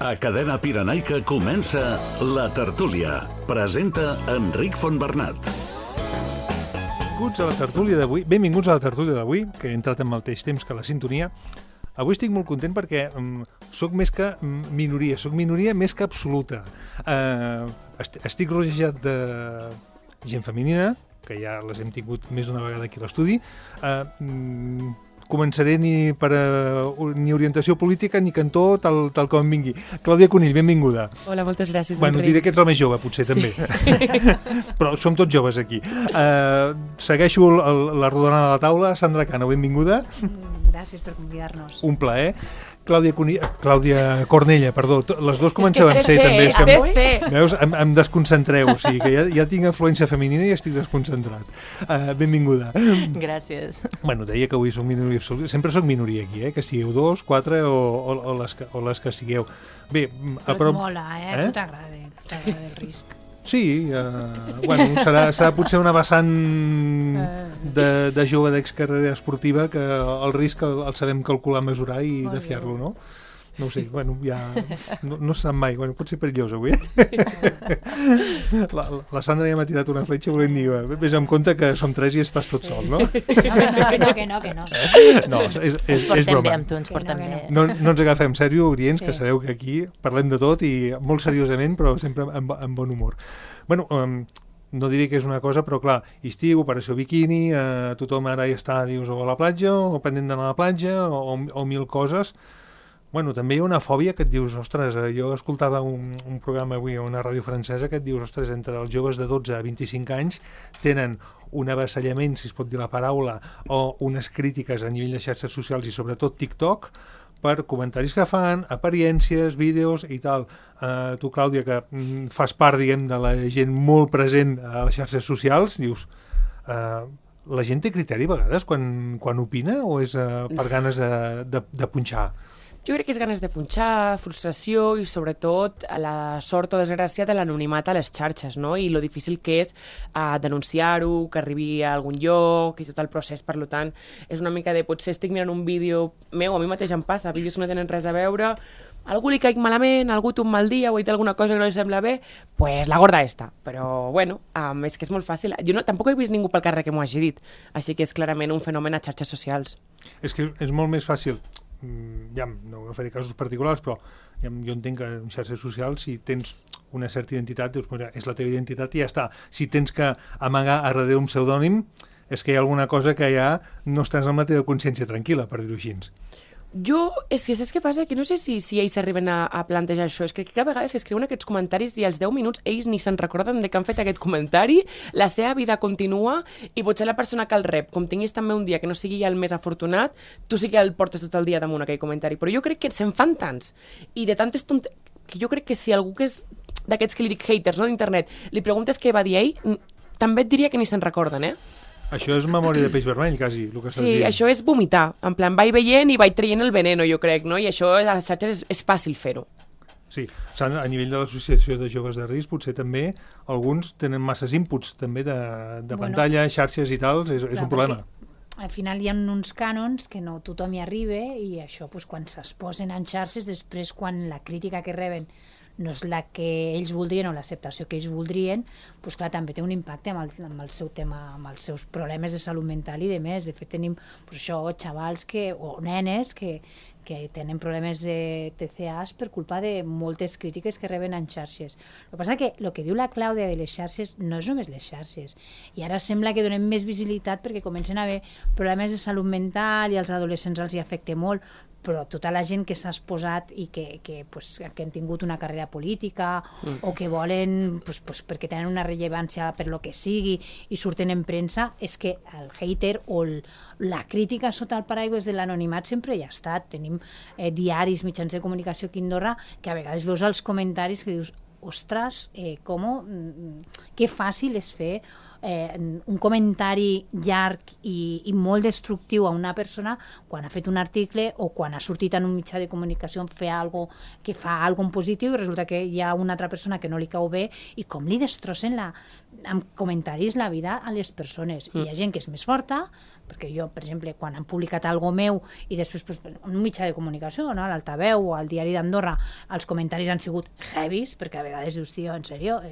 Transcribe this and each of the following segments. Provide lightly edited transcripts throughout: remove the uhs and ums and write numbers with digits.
A Cadena Pirenaica comença La Tertúlia. Presenta Enric Fontbernat. Benvinguts a la tertúlia d'avui, que he entrat en el mateix temps que la sintonia. Avui estic molt content perquè soc més que minoria, soc minoria més que absoluta. Estic rodejat de gent femenina, que ja les hem tingut més d'una vegada aquí a l'estudi. Començaré ni orientació política ni cantó, tal com em vingui. Clàudia Conill, benvinguda. Hola, moltes gràcies. Bueno, diré que ets la més jove, potser, també. Però som tots joves aquí. Segueixo la rodona de la taula. Sandra Cano, benvinguda. Gràcies per convidar-nos. Un plaer. Clàudia Cornella, perdó. Les dues comencem amb C, també. Veus? Em desconcentreu. O sigui que ja tinc afluència femenina i estic desconcentrat. Benvinguda. Gràcies. Bueno, deia que avui soc minoria absoluta. Sempre soc minoria aquí, que sigueu 2, 4 o les que sigueu. Bé, però et mola, Tu t'agrada el risc. Sí, bueno, serà potser una vessant de jove d'excarrera esportiva que el risc el sabem calcular, mesurar i defiar-lo, no? No ho sé, bueno, ja no se sap mai, bueno, pot ser perillós avui. La Sandra ja m'ha tirat una fletxa volent dir, vés amb compte que som 3 i estàs tot sol, no? Que no. No, és ens portem broma. bé amb tu, ens portem bé. No ens agafem sèrio, Orients, que sabeu que aquí parlem de tot i molt seriosament, però sempre amb bon humor. Bueno, no diré que és una cosa, però clar, estiu, operació biquini, tothom ara ja està, dius, o a la platja, o pendent d'anar a la platja, o mil coses. Bueno, també hi ha una fòbia que et dius, ostres, jo escoltava un programa avui a una ràdio francesa que et dius, ostres, entre els joves de 12 a 25 anys tenen un avasallament, si es pot dir la paraula, o unes crítiques a nivell de xarxes socials i sobretot TikTok, per comentaris que fan, apariències, vídeos i tal. Tu, Clàudia, que fas part, diguem, de la gent molt present a les xarxes socials, dius, la gent té criteri a vegades quan opina o és per ganes de punxar? Jo crec que és ganes de punxar, frustració i sobretot la sort o desgràcia de l'anonimat a les xarxes, no? I lo difícil que és denunciar-ho, que arribi a algun lloc i tot el procés. Per tant, és una mica de potser estic mirant un vídeo meu, a mi mateix em passa, vídeos que no tenen res a veure, algú li caic malament, algú té un mal dia o ha dit alguna cosa que no li sembla bé, pues la gorda esta. Però bueno, és que és molt fàcil. Jo tampoc he vist ningú pel carrer que m'ho hagi dit, així que és clarament un fenomen a xarxes socials. És que és molt més fàcil. Ja no agafaré casos particulars, però jo entenc que en xarxes socials si tens una certa identitat, dius, és la teva identitat i ja està. Si tens que amagar a darrere un pseudònim, és que hi ha alguna cosa que ja no estàs amb la teva consciència tranquil·la, per dir-ho així. Jo, és que saps què passa? Que no sé si ells arriben a plantejar això. És que a vegades que escriuen aquests comentaris i als 10 minuts ells ni se'n recorden de que han fet aquest comentari, la seva vida continua i potser la persona que el rep, com tinguis també un dia que no sigui el més afortunat, tu sí que el portes tot el dia damunt aquell comentari. Però jo crec que se'n fan tants i de tantes que jo crec que si algú que és d'aquests que li dic haters, no, d'internet, li preguntes què va dir ell, també et diria que ni se'n recorden, Això és memòria de peix vermell, quasi, el que estàs dient. Sí, això és vomitar. En plan, vaig veient i vaig traient el veneno, jo crec, no? I això a les xarxes és fàcil fer-ho. Sí, a nivell de l'associació de joves de risc, potser també alguns tenen masses inputs també de pantalla, xarxes i tal, és un problema. Al final hi ha uns cànons que no tothom hi arriba i això, quan s'exposen en xarxes, després quan la crítica que reben no és la que ells voldrien o l'acceptació que ells voldrien, clar, també té un impacte amb el seu tema, amb els seus problemes de salut mental i de més. De fet, tenim xavals o nenes que tenen problemes de TCAs per culpa de moltes crítiques que reben en xarxes. El que passa que el que diu la Clàudia de les xarxes no és només les xarxes. I ara sembla que donem més visibilitat perquè comencen a haver problemes de salut mental i als adolescents els hi afecta molt, però tota la gent que s'ha exposat i que han tingut una carrera política o que volen, perquè tenen una rellevància per lo que sigui i surten en premsa, és que el hater o la crítica sota el paraigües de l'anonimat sempre hi ha estat. Tenim diaris, mitjans de comunicació aquí a Andorra, que a vegades veus els comentaris que dius, ostres, que fàcil és fer un comentari llarg i molt destructiu a una persona quan ha fet un article o quan ha sortit en un mitjà de comunicació a fer alguna cosa que fa alguna cosa positiu i resulta que hi ha una altra persona que no li cau bé i com li destrossen amb comentaris la vida a les persones. I hi ha gent que és més forta, perquè jo, per exemple, quan han publicat alguna meu i després pues, en un mitjà de comunicació, no? A l'Altaveu o al Diari d'Andorra, els comentaris han sigut heavies, perquè a vegades dius, tio, en sèrio,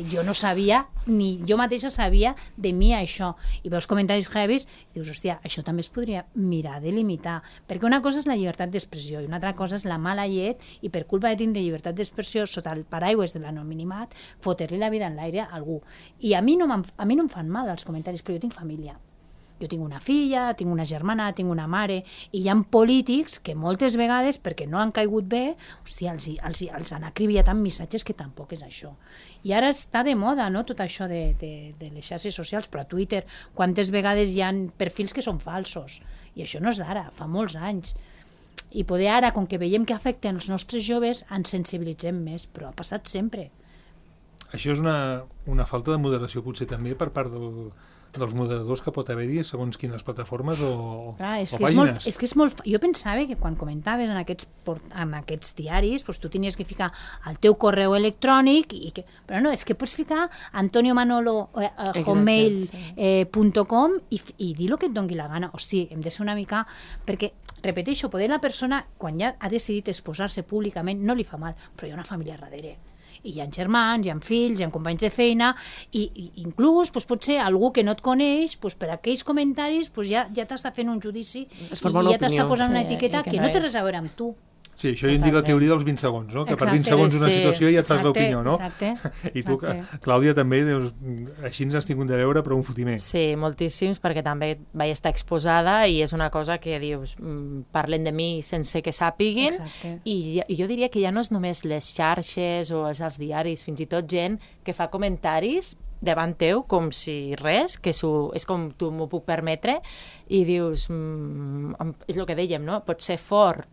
jo no sabia, ni jo mateixa sabia de mi això. I veus comentaris heavies i dius, hòstia, això també es podria mirar de limitar, perquè una cosa és la llibertat d'expressió i una altra cosa és la mala llet i per culpa de tindre llibertat d'expressió sota el paraigües de l'anonimat, fotre-li la vida en l'aire a algú. I a mi no em fan mal els comentaris, però jo tinc família. Jo tinc una filla, tinc una germana, tinc una mare, i hi ha polítics que moltes vegades, perquè no han caigut bé, hòstia, els han acribillat amb missatges que tampoc és això. I ara està de moda, no?, tot això de les xarxes socials, però a Twitter, quantes vegades hi ha perfils que són falsos? I això no és d'ara, fa molts anys. I poder ara, com que veiem que afecten els nostres joves, ens sensibilitzem més, però ha passat sempre. Això és una falta de moderació potser també per part dels moderadors que pot haver-hi segons quines plataformes o pàgines. És que és molt... Jo pensava que quan comentaves en aquests diaris pues, tu tenies que ficar el teu correu electrònic, però no, és que pots ficar antoniomanolo@hotmail.com i dir el que et doni la gana. O sigui, hem de ser una mica... Perquè, repeteixo, poder la persona, quan ja ha decidit exposar-se públicament, no li fa mal, però hi ha una família darrere. I hi ha germans, hi ha fills, hi ha companys de feina i inclús doncs, pot ser algú que no et coneix, doncs, per aquells comentaris doncs, ja t'està fent un judici i ja t'està posant una etiqueta que no té res a veure amb tu. Sí, això ja en dic la teoria dels 20 segons, no? Que per 20 segons una situació ja et fas l'opinió, no? Exacte. I tu, Clàudia, també, dius, així ens has tingut de veure, però un fotimer. Sí, moltíssims, perquè també vaig estar exposada i és una cosa que dius, parlen de mi sense que sàpiguin, i jo diria que ja no és només les xarxes o els diaris, fins i tot gent que fa comentaris davant teu, com si res, que és com tu m'ho puc permetre, i dius, és el que dèiem, no? Pot ser fort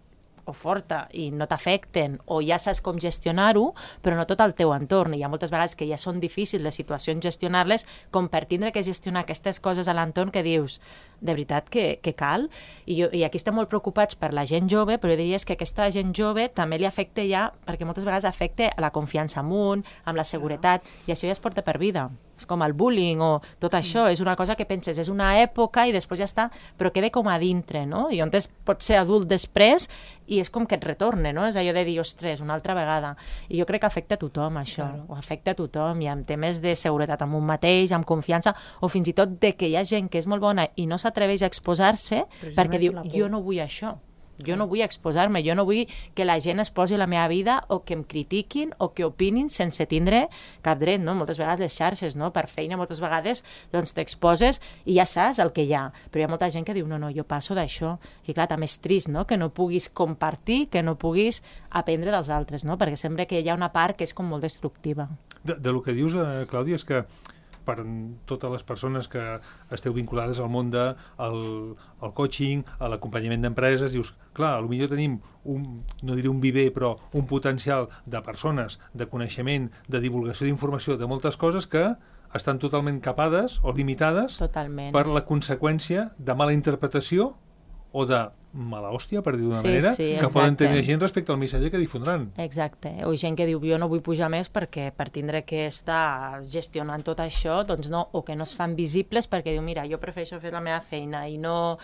o forta i no t'afecten o ja saps com gestionar-ho, però no tot el teu entorn. Hi ha moltes vegades que ja són difícils les situacions gestionar-les, com per tindre que gestionar aquestes coses a l'entorn que dius, de veritat que cal? I aquí estem molt preocupats per la gent jove, però jo diria que aquesta gent jove també li afecta ja, perquè moltes vegades afecta la confiança en un, amb la seguretat, i això ja es porta per vida. És com el bullying o tot això, és una cosa que penses, és una època i després ja està, però queda com a dintre, no? I on pots ser adult després i és com que et retorna, no? És allò de dir, ostres, una altra vegada. I jo crec que afecta a tothom, això. Ho afecta a tothom, i amb temes de seguretat amb un mateix, amb confiança, o fins i tot de que hi ha gent que és molt bona i no s'atreveix a exposar-se perquè diu, jo no vull això. Jo no vull exposar-me, jo no vull que la gent es posi a la meva vida o que em critiquin o que opinin sense tindre cap dret, no? Moltes vegades les xarxes, no? Per feina, moltes vegades doncs t'exposes i ja saps el que hi ha, però hi ha molta gent que diu, no, jo passo d'això, i clar, també és trist, no? Que no puguis compartir, que no puguis aprendre dels altres, no? Perquè sembla que hi ha una part que és com molt destructiva. De lo que dius, Clàudia, és que per totes les persones que esteu vinculades al món del coaching, a l'acompanyament d'empreses, dius, clar, potser tenim no diré un viver, però un potencial de persones, de coneixement, de divulgació d'informació, de moltes coses que estan totalment capades o limitades per la conseqüència de mala interpretació o de mala hòstia, per dir d'una manera, que poden tenir gent respecte al missatge que difondran. Exacte. O gent que diu, jo no vull pujar més perquè per tindre que estar gestionant tot això, doncs no, o que no es fan visibles perquè diu, mira, jo prefereixo fer la meva feina i no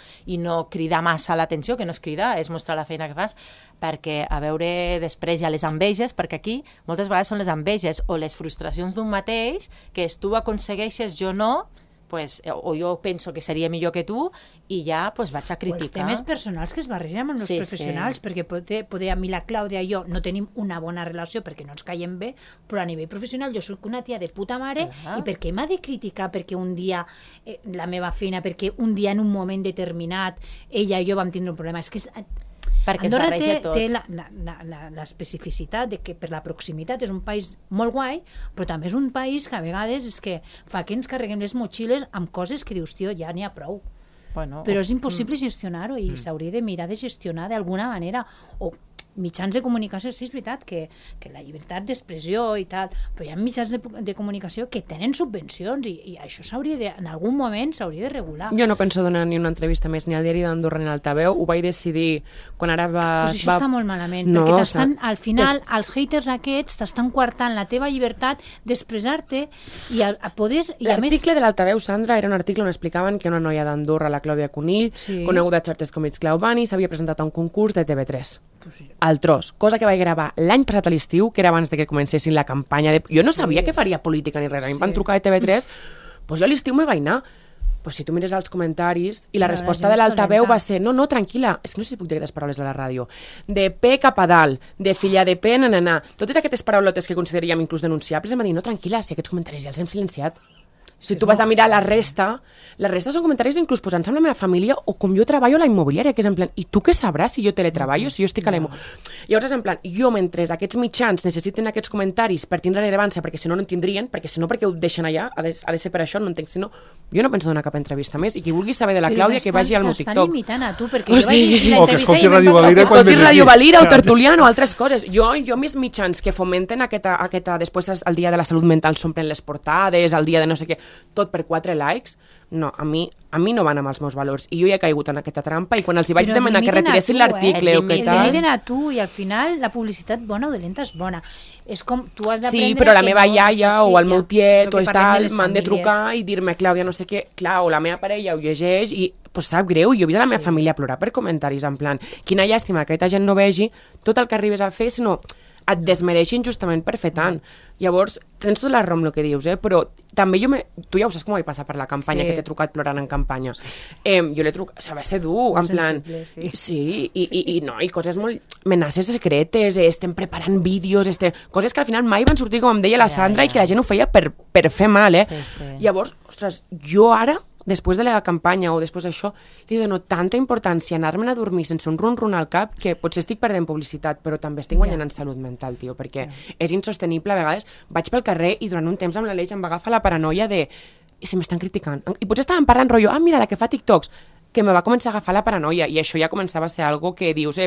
cridar massa l'atenció, que no és cridar, és mostrar la feina que fas, perquè a veure després hi ha les enveges, perquè aquí moltes vegades són les enveges o les frustracions d'un mateix, que és tu aconsegueixes, jo no, o jo penso que seria millor que tu i ja vaig a criticar. O els temes personals que es barregen amb els professionals, perquè poder a mi la Clàudia i jo no tenim una bona relació perquè no ens caiem bé, però a nivell professional jo soc una tia de puta mare i per què m'ha de criticar perquè un dia la meva feina, perquè un dia en un moment determinat ella i jo vam tindre un problema? És que perquè Andorra té l'especificitat de que per la proximitat és un país molt guai, però també és un país que a vegades és que fa que ens carreguem les motxilles amb coses que dius, tio, ja n'hi ha prou. Però és impossible gestionar-ho i s'hauria de mirar de gestionar d'alguna manera. O mitjans de comunicació, sí, és veritat que la llibertat d'expressió i tal, però hi ha mitjans de comunicació que tenen subvencions i això en algun moment s'hauria de regular. Jo no penso donar ni una entrevista més ni al diari d'Andorra ni al Altaveu, ho vaig decidir quan ara Pues això està molt malament, perquè al final els haters aquests t'estan coartant la teva llibertat d'expressar-te i a poder... L'article de l'Altaveu, Sandra, era un article on explicaven que una noia d'Andorra, la Clàudia Conill, coneguda a xarxes com It's Claubani, s'havia presentat a un concurs de TV3. Al tros, cosa que vaig gravar l'any passat a l'estiu, que era abans de que comencessin la campanya de... Jo no sabia que faria política ni res, a mi em van trucar de TV3, doncs jo a l'estiu me vaig anar. Pues si tu mires els comentaris, i la resposta de l'Altaveu va ser no, tranquil·la, és que no sé si puc dir aquestes paraules a la ràdio, de P cap a dalt, de filla de P, totes aquestes paraulotes que consideraríem inclús denunciables, em va dir, no, tranquil·la, si aquests comentaris ja els hem silenciat. Si tu vas a mirar la resta són comentaris inclús posant-se amb la meva família o com jo treballo a la immobiliària, que és en plan, i tu què sabràs si jo teletreballo, si jo estic a la immobiliària? Llavors és en plan, jo mentre aquests mitjans necessiten aquests comentaris per tindre rellevància, perquè si no no en tindrien, perquè si no perquè ho deixen allà, ha de ser per això, no entenc, si no, jo no penso donar cap entrevista més, i qui vulgui saber de la Clàudia que vagi al meu TikTok. T'estan limitant a tu, perquè jo vaig llegir l'entrevista i escolti Ràdio Valira o Tertuliano o altres coses. Jo més mitjans que fomenten aquesta després el dia de la salut mental s'omplen les portades, el dia de no sé què, tot per 4 likes, no, a mi no van amb els meus valors, i jo ja he caigut en aquesta trampa, i quan els hi vaig demanar que retiressin l'article o què tal... El limiten a tu, i al final la publicitat bona o dolenta és bona. És com, tu has d'aprendre... Sí, però la meva iaia o el meu tiet o tal m'han de trucar i dir-me, Clàudia, no sé què, clar, o la meva parella ho llegeix i pues sap greu, jo he vist a la meva família plorar per comentaris, en plan, quina llàstima que aquesta gent no vegi tot el que arribes a fer, sinó et desmereixin justament per fer tant. Llavors, tens tota la raó amb el que dius, però també tu ja ho saps com vaig passar per la campanya, que t'he trucat plorant en campanya. Jo l'he trucat, va ser dur, en plan... Sí, i coses molt... amenaces secretes, estem preparant vídeos, coses que al final mai van sortir, com em deia la Sandra, i que la gent ho feia per fer mal, Llavors, ostres, jo ara, després de la campanya o després d'això, li dono tanta importància a anar-me'n a dormir sense un run-run al cap que potser estic perdent publicitat, però també estic guanyant en salut mental, tio, perquè és insostenible. A vegades vaig pel carrer i durant un temps amb l'Aleix em va agafar la paranoia de i si m'estan criticant. I potser estàvem parlant rotllo, mira, la que fa TikToks, que me va començar a agafar la paranoia, i això ja començava a ser algo que dius,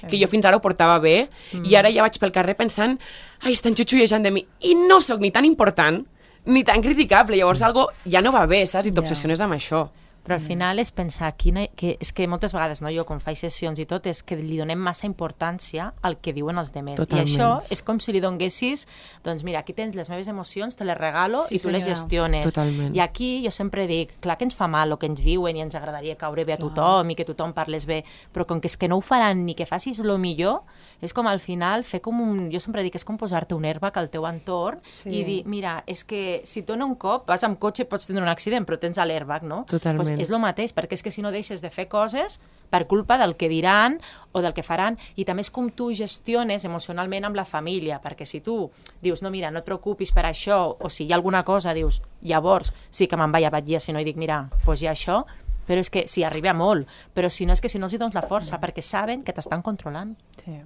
que jo fins ara ho portava bé, i ara ja vaig pel carrer pensant, estan xutxullejant de mi, i no sóc ni tan important ni tan criticable, llavors algo ja no va bé, saps? I t'obsessiones amb això. Però al final és pensar que és que moltes vegades, jo quan faig sessions i tot, és que li donem massa importància al que diuen els demés. I això és com si li donguessis, doncs mira, aquí tens les meves emocions, te les regalo i tu les gestiones. Totalment. I aquí jo sempre dic, clar que ens fa mal el que ens diuen i ens agradaria caure bé a tothom i que tothom parles bé, però com que és que no ho faran ni que facis el millor, és com al final fer com jo sempre dic, és com posar-te un airbag al teu entorn i dir, mira, és que si tu un cop vas amb cotxe pots tenir un accident, però tens l'airbag, no? Totalment. És el mateix, perquè és que si no deixes de fer coses per culpa del que diran o del que faran, i també és com tu gestiones emocionalment amb la família, perquè si tu dius, no, mira, no et preocupis per això, o si hi ha alguna cosa, dius, llavors sí que me'n vaig a batllar, si no, i dic, mira, doncs hi ha això, però és que si arriba molt, però si no és que si no els hi dones la força, perquè saben que t'estan controlant. Sí.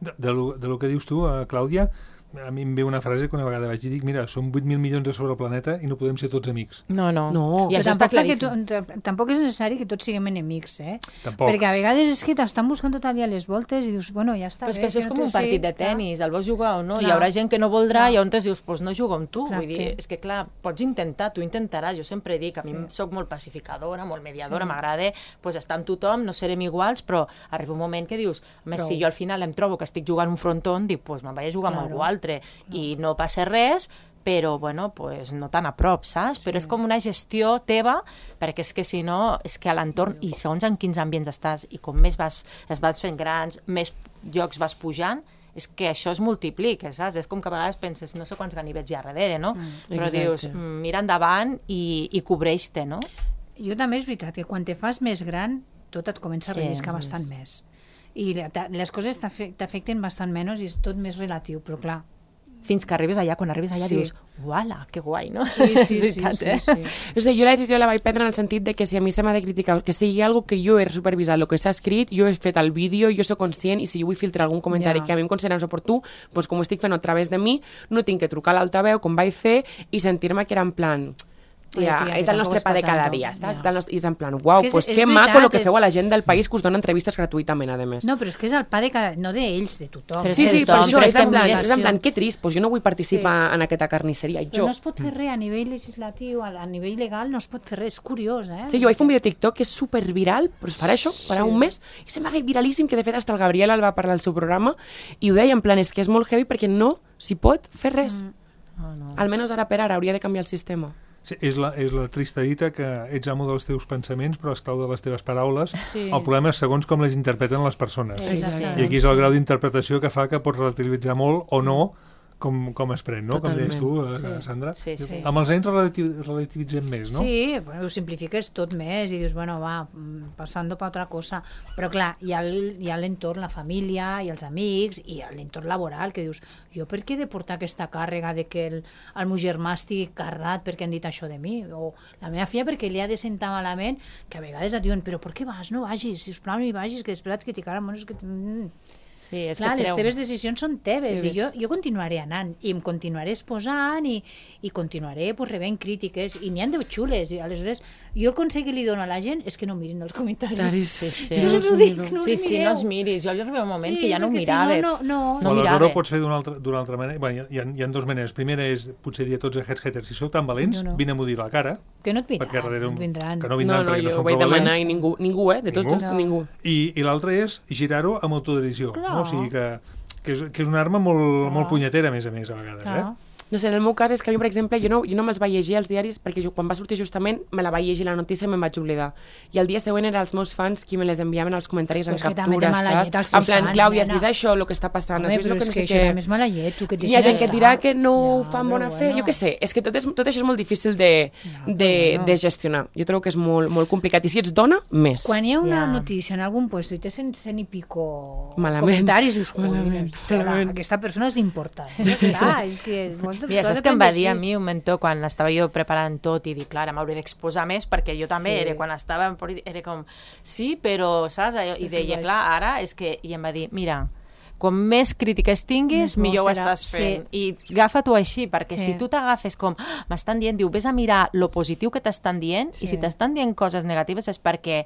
De lo que dius tu, Clàudia, a mi em ve una frase que una vegada vaig dir, mira, som 8.000 milions sobre el planeta i no podem ser tots amics. No. I això està claríssim. Tampoc és necessari que tots siguem enemics, Tampoc. Perquè a vegades és que t'estan buscant tot el dia les voltes i dius, bueno, ja està bé. Però és que això és no com un partit de tenis, el vols jugar o no? Clar. Hi haurà gent que no voldrà i on dius, doncs no jugo amb tu. Exacte. Vull dir, és que clar, pots intentar, tu intentaràs. Jo sempre dic, a mi soc molt pacificadora, molt mediadora, m'agrada estar amb tothom, no serem iguals, però arriba un moment que dius, si jo al final em trobo que estic jugant un frontón, dic, doncs me'n vaig a jugar amb algú altre. I no passa res, però bueno, pues no tan a prop, saps? Però és com una gestió teva, perquè és que si no, és que a l'entorn, i segons en quins ambients estàs, i com més es vas fent grans, més llocs vas pujant, és que això es multiplica, saps? És com que a vegades penses, no sé quants ganivets hi ha darrere, no? Però dius, mira endavant i cobreix-te, no? Jo també és veritat que quan te fas més gran, tot et comença a relliscar bastant més. I les coses t'afecten bastant menys i és tot més relatiu, però clar, fins que arribes allà, quan arribes allà dius, uala, que guai, no? Sí. O sigui, jo la decisió la vaig prendre en el sentit de que si a mi se m'ha de criticar, que sigui algo que jo he supervisat, el que s'ha escrit, jo he fet el vídeo, jo soc conscient, i si jo vull filtrar algun comentari que a mi em considera oportú, doncs com ho estic fent a través de mi, no tinc que trucar a l'altaveu, com vaig fer, i sentir-me que era en plan... és el nostre pa de cada dia, saps? I és en plan, uau, és que maco el que feu a la gent del país que us dona entrevistes gratuïtament, a més. No, però és que és el pa de cada... No d'ells, de tothom. Sí, per això, és en plan, que trist, jo no vull participar en aquesta carnisseria, Però no es pot fer res a nivell legislatiu, a nivell legal no es pot fer res, és curiós, eh? Sí, jo vaig fer un vídeo TikTok que és superviral, però es farà això, farà un mes, i se'm va fer viralíssim, que de fet hasta el Gabriel el va parlar al seu programa, i ho deia en plan, és que és molt heavy perquè no s'hi pot fer res. Almenys ara per ara hauria de canviar el sistema. Sí, és la trista dita que ets amo dels teus pensaments però esclau de les teves paraules. Sí. El problema és segons com les interpreten les persones. I aquí és el grau d'interpretació que fa que pots relativitzar molt o no com es pren, no? Totalment. Com deies tu, Sandra. Sí. Amb els anys relativitzem més, no? Sí, ho simplifiques tot més i dius, bueno, va, passant per altra cosa. Però clar, hi ha l'entorn, la família i els amics i l'entorn laboral que dius, jo per què he de portar aquesta càrrega de que el meu germà estigui cardat perquè han dit això de mi? O la meva filla perquè li ha de sentar malament, que a vegades et diuen, però per què vas? No vagis, sisplau, no hi vagis, que després et criticaran. Bueno, és que... Sí, és clar, que les teves decisions són teves i jo continuaré anant i em continuaré exposant i continuaré rebent crítiques i n'hi ha de xules i aleshores jo el consell que li dono a la gent és que no mirin els comentaris. Sí, jo sempre ho dic, no no els miris, jo li arriba un moment que ja no ho mirava. No aleshores ho pots fer d'una altra manera. Bueno, hi ha dues maneres. Primera és potser dir a tots els haters, si sou tan valents, vine-m'ho dir a la cara. Que no et vindran, perquè darrere vindran. Que no vindran perquè no són prou valents. No, jo ho vaig demanar i ningú, de tots ningú. I l'altra és girar-ho amb autoderisió. No? O sigui que és una arma molt punyetera, a més a vegades. No sé, en el meu cas és que a mi, per exemple, jo no me'ls vaig llegir als diaris perquè quan va sortir justament me la vaig llegir la notícia i me'n vaig oblidar. I el dia següent eren els meus fans qui me les enviaven als comentaris en captura, saps? En plan, Clàudia, has vist això, el que està passant? Home, però és que això era més mala llet. Hi ha gent que et dirà que no ho fa amb bona fe, jo què sé. És que tot això és molt difícil de gestionar. Jo trobo que és molt complicat. I si ets dona, més. Quan hi ha una notícia en algun lloc i té 100 i pico comentaris, dius, aquesta persona és important. És que... Mira, saps que em va dir a mi un mentor quan estava jo preparant tot i dic, clar, m'hauré d'exposar més perquè jo també era, quan estava en política, era com, sí, però, saps? I deia, clar, ara és que, i em va dir, mira, quan més crítiques tinguis, millor ho estàs fent. I agafa-t'ho així, perquè si tu t'agafes com, m'estan dient, diu, vés a mirar lo positiu que t'estan dient, i si t'estan dient coses negatives és perquè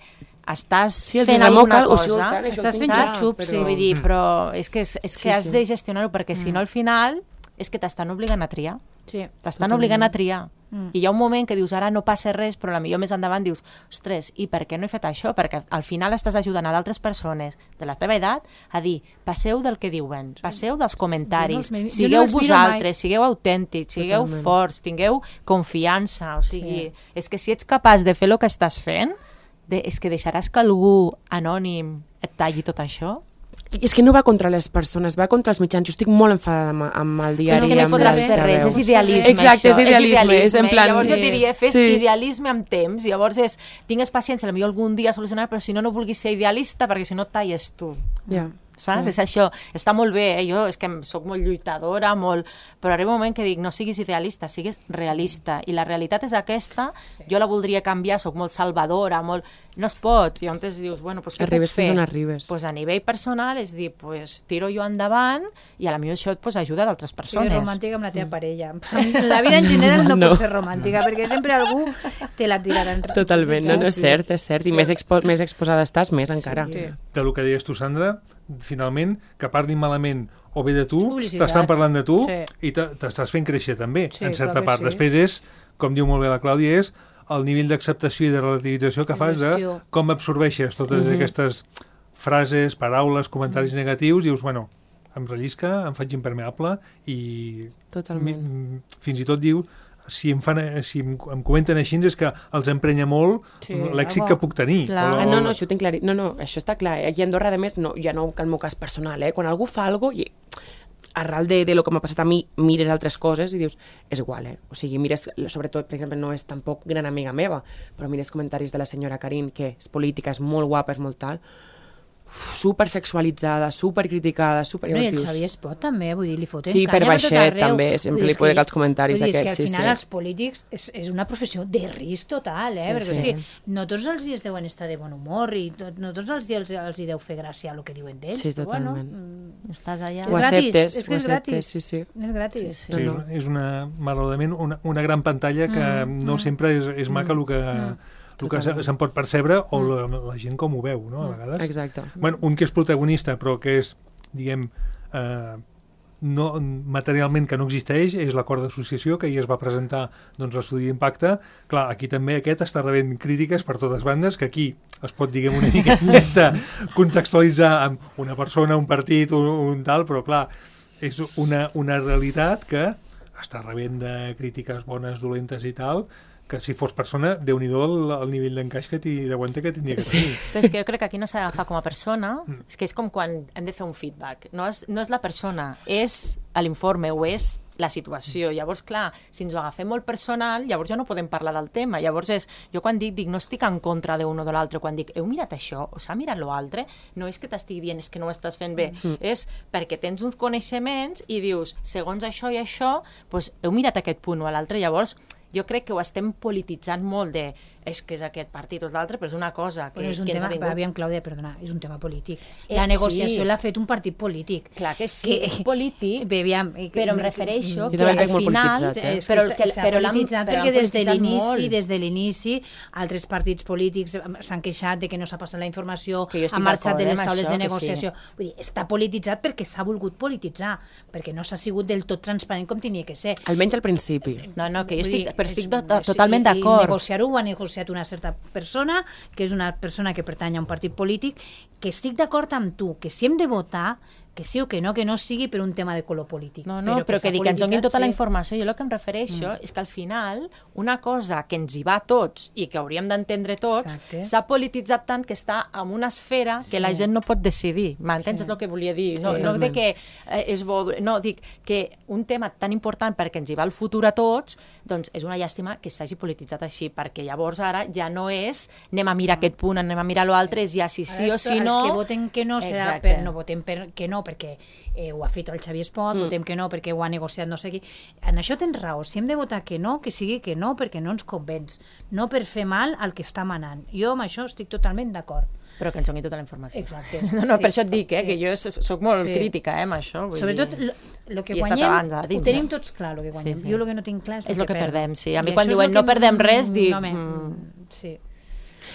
estàs fent alguna cosa, estàs fent xups, vull dir, però és que has de gestionar-ho, perquè si no al final és que t'estan obligant a triar. T'estan obligant a triar. I hi ha un moment que dius, ara no passa res, però potser més endavant dius, ostres, i per què no he fet això? Perquè al final estàs ajudant a d'altres persones de la teva edat a dir, passeu del que diuen, passeu dels comentaris, sigueu vosaltres, sigueu autèntics, sigueu forts, tingueu confiança, o sigui, és que si ets capaç de fer el que estàs fent, és que deixaràs que algú anònim et talli tot això? És que no va contra les persones, va contra els mitjans. Jo estic molt enfadada amb el diari. Però és que no podràs fer res, és idealisme. Exacte, és idealisme. És en plan... Llavors jo diria, fes idealisme amb temps, llavors tingues paciència, potser algun dia solucionar, però si no vulguis ser idealista, perquè si no et talles tu. Saps? És això, està molt bé, jo és que soc molt lluitadora, però arriba un moment que dic, no siguis idealista, siguis realista, i la realitat és aquesta, jo la voldria canviar, soc molt salvadora, no es pot, i llavors dius, bueno, doncs què puc fer? Pues a nivell personal és dir, pues tiro jo endavant, i a la millor això ajuda d'altres persones. Sigues romàntica amb la teva parella. La vida en general no pot ser romàntica, perquè sempre algú te la tirarà enrere. Totalment, no, és cert, i més exposada estàs, més encara. Del que deies tu, Sandra, finalment, que parlin malament o bé de tu, t'estan parlant de tu i t'estàs fent créixer també, en certa part. Després és, com diu molt bé la Clàudia, és el nivell d'acceptació i de relativització que fas de com absorbeixes totes aquestes frases, paraules, comentaris negatius, i dius, bueno, em rellisca, em faig impermeable i fins i tot diu, si em comenten així és que els emprenya molt l'èxit que puc tenir. No, això ho tinc clar. No, això està clar. Aquí a Andorra, a més, ja no que el meu cas personal, quan algú fa alguna cosa, arrel de lo que m'ha passat a mi, mires altres coses i dius, és igual, O sigui, mires, sobretot, per exemple, no és tampoc gran amiga meva, però mires comentaris de la senyora Karin, que és política, és molt guapa, és molt tal, supersexualitzada, supercriticada, super... No, i el Xavier Espot també, vull dir, li foten sí, canya per baixet també, sempre li poden els comentaris aquests. aquests. És que al final els polítics és una professió de risc total, perquè no tots els dies deuen estar de bon humor i no tots els dies els hi deu fer gràcia el que diuen d'ells. Sí, totalment. Estàs allà. Ho acceptes, és que és gratis. Sí. És gratis. Sí, és malauradament una gran pantalla que no sempre és maca el que se'n pot percebre o la gent com ho veu, no? A vegades. Exacte. Bueno, un que és protagonista però que és, diguem, no, materialment que no existeix, és l'acord d'associació que ahir es va presentar l'estudi d'impacte. Clar, aquí també aquest està rebent crítiques per totes bandes, que aquí es pot, diguem, una mica contextualitzar amb una persona, un partit, un tal, però clar, és una realitat que està rebent de crítiques bones, dolentes i tal, que si fos persona, Déu-n'hi-do el nivell d'encaix que d'aguante que tindria que tenir. Però és que jo crec que aquí no s'ha d'agafar com a persona, és que és com quan hem de fer un feedback. No és la persona, és l'informe o és la situació. Llavors, clar, si ens ho agafem molt personal, llavors ja no podem parlar del tema. Llavors jo quan dic no estic en contra d'un o de l'altre, quan dic heu mirat això o s'ha mirat l'altre, no és que t'estigui dient és que no ho estàs fent bé, és perquè tens uns coneixements i dius, segons això i això, doncs heu mirat aquest punt o l'altre. Llavors, jo crec que ho estem polititzant molt de és que és aquest partit o l'altre, però és una cosa que, és un que tema, ens ha vingut. aviam, Clàudia, perdona, és un tema polític. La negociació l'ha fet un partit polític. Clar que sí, és polític, però em refereixo que al final... S'ha polititzat perquè des de l'inici altres partits polítics s'han queixat de que no s'ha passat la informació, han marxat de les taules de negociació. Vull dir, està polititzat perquè s'ha volgut polititzar, perquè no s'ha sigut del tot transparent com tenia que ser. Almenys al principi. No, que jo estic totalment d'acord. Negociar-ho ho ha negociat una certa persona, que és una persona que pertany a un partit polític, que estic d'acord amb tu, que si hem de votar, que sí o que no sigui per un tema de color polític. No, però que dic que ens donin tota la informació. Jo el que em refereixo és que al final una cosa que ens hi va a tots i que hauríem d'entendre tots s'ha polititzat tant que està en una esfera que la gent no pot decidir. M'entens? És el que volia dir. No de que és bo... No, dic que un tema tan important perquè ens hi va el futur a tots, doncs és una llàstima que s'hagi polititzat així, perquè llavors ara ja no és anem a mirar aquest punt, anem a mirar l'altre, és ja si sí o si no... Els que voten que no serà no votem que no, perquè ho ha fet el Xavier Espot, votem que no perquè ho ha negociat no sé qui. En això tens raó, si hem de votar que no, que sigui que no, perquè no ens convenç, no per fer mal al que està manant. Jo amb això estic totalment d'acord. Però que ens doni tota la informació. Exacte. No, per això et dic, que jo soc molt crítica amb això. Sobretot, el que guanyem, ho tenim tots clar, el que guanyem. Jo el que no tinc clar és el que perdem, sí. A mi quan diuen no perdem res, dic... Sí.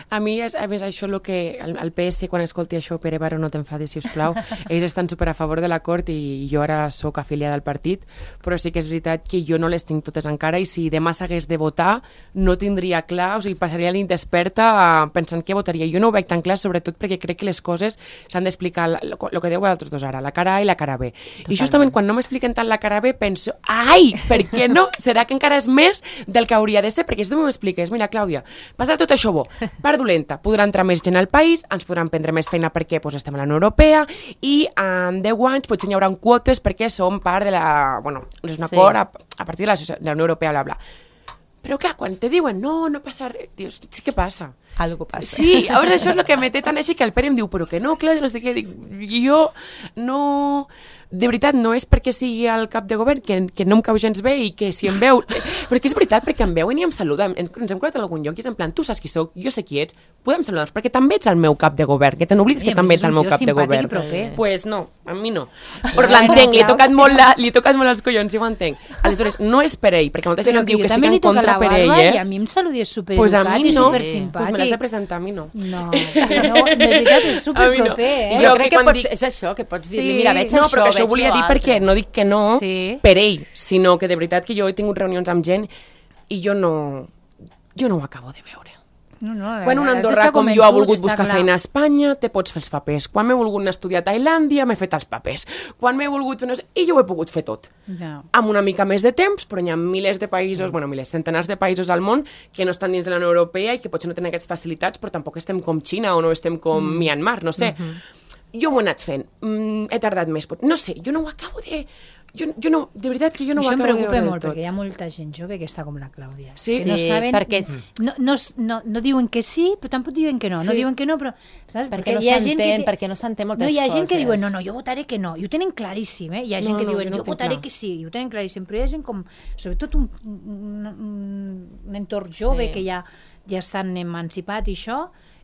A mi, a més, això el que el PS, quan escolti això, Pere Baró, no t'enfadis, sisplau, ells estan super a favor de l'acord i jo ara sóc afiliada al partit, però sí que és veritat que jo no les tinc totes encara i si demà s'hagués de votar no tindria clar, o sigui, passaria la nit desperta pensant què votaria. Jo no ho veig tan clar, sobretot perquè crec que les coses s'han d'explicar, el que deu vosaltres dos ara, la cara A i la cara B. Totalment. I justament quan no m'expliquen tant la cara B penso, ai, per què no? Serà que encara és més del que hauria de ser? Perquè si tu m'expliques, mira, Clàudia, passa tot això bo, part dolenta, podrà entrar més gent al país, ens podran prendre més feina perquè estem a la Unió Europea i en 10 anys potser hi haurà quotes perquè som part de la... Bueno, és un acord a partir de la Unió Europea, bla, bla. Però clar, quan te diuen no passa res, dius, sí que passa. Algo passa. Sí, llavors això és el que me té tan així que el Pere em diu, però que no, clar, no sé què, dic, jo no... De veritat, no és perquè sigui el cap de govern, que no em cau gens bé i que si em veu... Però és que és veritat, perquè em veuen i em saluden. Ens hem quedat en algun lloc i és en plan, tu saps qui soc, jo sé qui ets, podem saludar-nos, perquè també ets el meu cap de govern, que te n'oblides que també ets el meu cap de govern. Pues no, a mi no. Però l'entenc, li he tocat molt els collons, si ho entenc. Aleshores, no és per ell, perquè molta gent em diu que estic en contra per ell, I a mi em saludi supereducat i supersimpàtic. Pues me l'has de presentar, a mi no. No, de veritat, és superproper, Jo crec que és això, que pots dir-li, mira, veig això, però això ho volia dir perquè no dic que no per ell, sinó que de veritat que jo he tingut reunions amb gent i jo no ho acabo de veure. Quan un andorrà com jo ha volgut buscar feina a Espanya, te pots fer els papers. Quan m'he volgut estudiar a Tailàndia, m'he fet els papers. Quan m'he volgut fer... I jo ho he pogut fer tot. Amb una mica més de temps, però hi ha milers de països, centenars de països al món que no estan dins de la Unió Europea i que potser no tenen aquestes facilitats, però tampoc estem com Xina o no estem com Myanmar, no sé. Jo m'ho he anat fent. He tardat més. No sé, jo no ho acabo de... Jo no, de veritat que jo no ho això em acabo de preocupa veure molt, del tot. perquè hi ha molta gent jove que està com la Clàudia. Sí, que no saben, perquè no diuen que sí, però tampoc diuen que no. No diuen que no, però... Saps? Perquè no s'entén moltes coses. Hi ha gent que diuen, no, jo votaré que no. I ho tenen claríssim, Hi ha gent que diuen, jo votaré que sí. I ho tenen claríssim. Però hi ha gent com, sobretot un entorn jove que ja estan emancipat i això,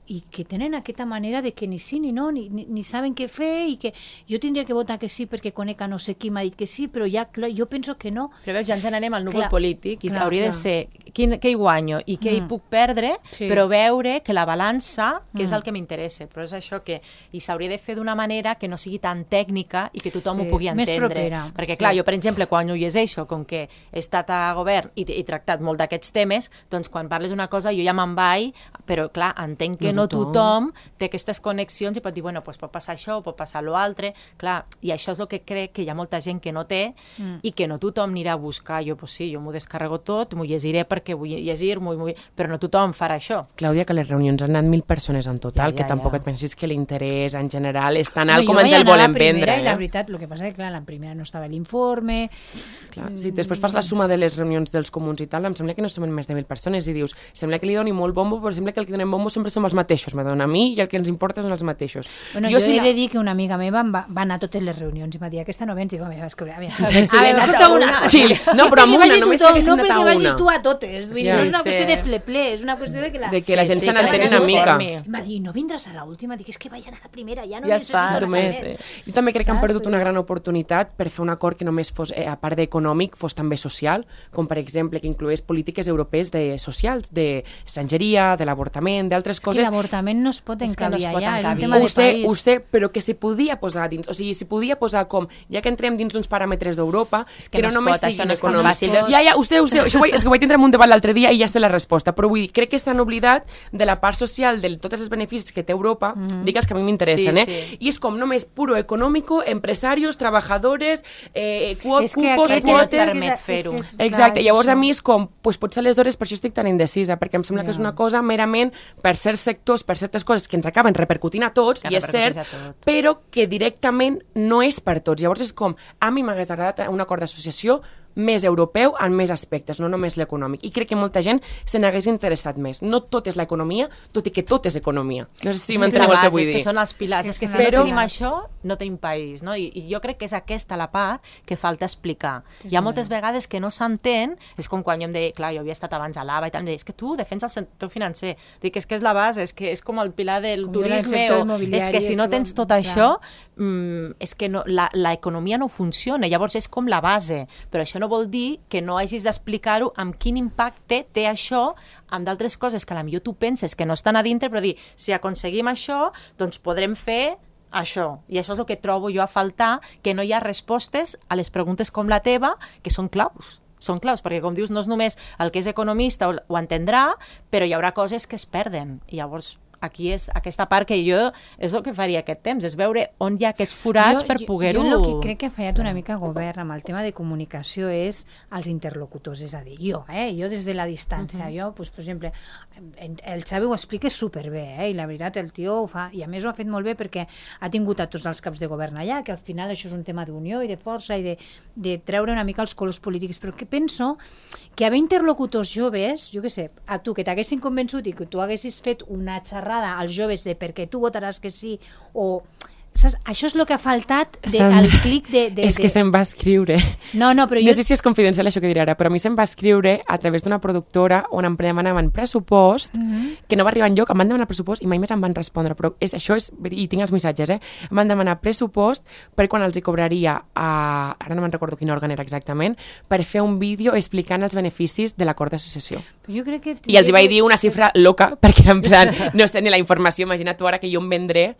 i que tenen aquesta manera de que ni sí ni no, ni saben què fer, i que jo tindria que votar que sí perquè conec a no sé qui m'ha dit que sí, però ja jo penso que no. Però veus, ja ens n'anem al núvol polític, i hauria de ser què hi guanyo i què hi puc perdre, però veure que la balança, que és el que m'interessa, però és això que s'hauria de fer d'una manera que no sigui tan tècnica i que tothom ho pugui entendre. Més propera. Perquè, clar, jo, per exemple, quan ho llegeixo, com que he estat a govern i he tractat molt d'aquests temes, doncs quan parles d'una cosa jo ja me'n vaig, però, clar, entenc que no tothom té aquestes connexions i pot dir, bueno, doncs pot passar això, pot passar l'altre, clar, i això és el que crec que hi ha molta gent que no té i que no tothom anirà a buscar. Jo, doncs sí, jo m'ho descarrego tot, m'ho llegiré perquè vull llegir, però no tothom farà això. Clàudia, que les reunions han anat 1.000 persones en total, que tampoc et pensis que l'interès en general és tan alt com ens el volen vendre. La veritat, el que passa és que, clar, la primera no estava l'informe... Si després fas la suma de les reunions dels comuns i tal, em sembla que no som més de 1.000 persones i dius, sembla que li doni molt bombo, però sembla que el que donem bombo sempre som els mateixos, me dona a mi, i el que ens importa són els mateixos. Bueno, jo he de dir que una amiga meva va anar a totes les reunions i m'ha dit, aquesta no vens, i dic, però amb una, només que haguéssim anat a una. No, perquè vagis tu a totes, no és una qüestió de ple, és una qüestió de que la gent se n'entén una mica. Em va dir, no vindràs a l'última? Dic, és que vaig anar a la primera, ja no necessito res. Jo també crec que han perdut una gran oportunitat per fer un acord que només fos, a part d'econòmic, fos també social, com per exemple que incloés polítiques europees socials, d'estrangeria, de l'avortament, d'altres coses. És que l'avortament no es pot encabir allà, és un tema de país. Ho sé, però que s'hi podia posar dins, o sigui, s'hi podia posar com, ja que entrem dins d'uns paràmetres d'Europa, que no només siguin econòmics. Ja, ho sé, és que ho vaig tindre en un debat l'altre dia i ja sé la resposta, però vull dir, crec que s'han oblidat de la part social, de tots els beneficis que té Europa, dic els que a mi m'interessen, i és com només puro econòmico, empresarios, trabajadores, cupos, quotes... Exacte, llavors a mi és com, potser aleshores per això estic tan indecisa, perquè em sembla que és una cosa merament per certs sectors, per certes coses que ens acaben repercutint a tots, i és cert, però que directament no és per tots. Llavors és com, a mi m'hagués agradat un acord d'associació més europeu en més aspectes, no només l'econòmic. I crec que molta gent se n'hagués interessat més. No tot és l'economia, tot i que tot és economia. No sé si m'enteneu el que vull dir. És que són els pilars, és que si no tenim això, no tenim país, no? I jo crec que és aquesta la part que falta explicar. Hi ha moltes vegades que no s'entén, és com quan jo em deia, clar, jo havia estat abans a l'AVA i tal, em deia, és que tu defenses el sector financer. Dic, és que és la base, és que és com el pilar del turisme, és que si no tens tot això, és que l'economia no funciona, llavors és com la base, però això no vol dir que no hagis d'explicar-ho amb quin impacte té això amb d'altres coses que potser tu penses que no estan a dintre, però dir, si aconseguim això, doncs podrem fer això. I això és el que trobo jo a faltar, que no hi ha respostes a les preguntes com la teva, que són claus. Són claus, perquè com dius, no és només el que és economista ho entendrà, però hi haurà coses que es perden. I llavors aquí és aquesta part que jo és el que faria aquest temps, és veure on hi ha aquests forats per poder-ho... Jo el que crec que ha fallat una mica govern amb el tema de comunicació és els interlocutors, és a dir, jo des de la distància, jo, per exemple, el Xavi ho explica superbé, i la veritat el tio ho fa, i a més ho ha fet molt bé perquè ha tingut a tots els caps de govern allà, que al final això és un tema d'unió i de força i de treure una mica els colors polítics, però que penso que haver interlocutors joves, jo què sé, a tu que t'haguessin convençut i que tu haguessis fet una xerrada als joves de perquè tu votaràs que sí o... Saps? Això és el que ha faltat del clic de... És que se'm va escriure. No, però jo... No sé si és confidencial això que diré ara, però a mi se'm va escriure a través d'una productora on em demanaven pressupost, que no va arribar enlloc, em van demanar pressupost i mai més em van respondre, però i tinc els missatges, em van demanar pressupost per quan els hi cobraria, ara no me'n recordo quin òrgan era exactament, per fer un vídeo explicant els beneficis de l'acord d'associació. I els hi vaig dir una xifra loca, perquè era en plan, no sé ni la informació, imagina't tu ara que jo em vendré,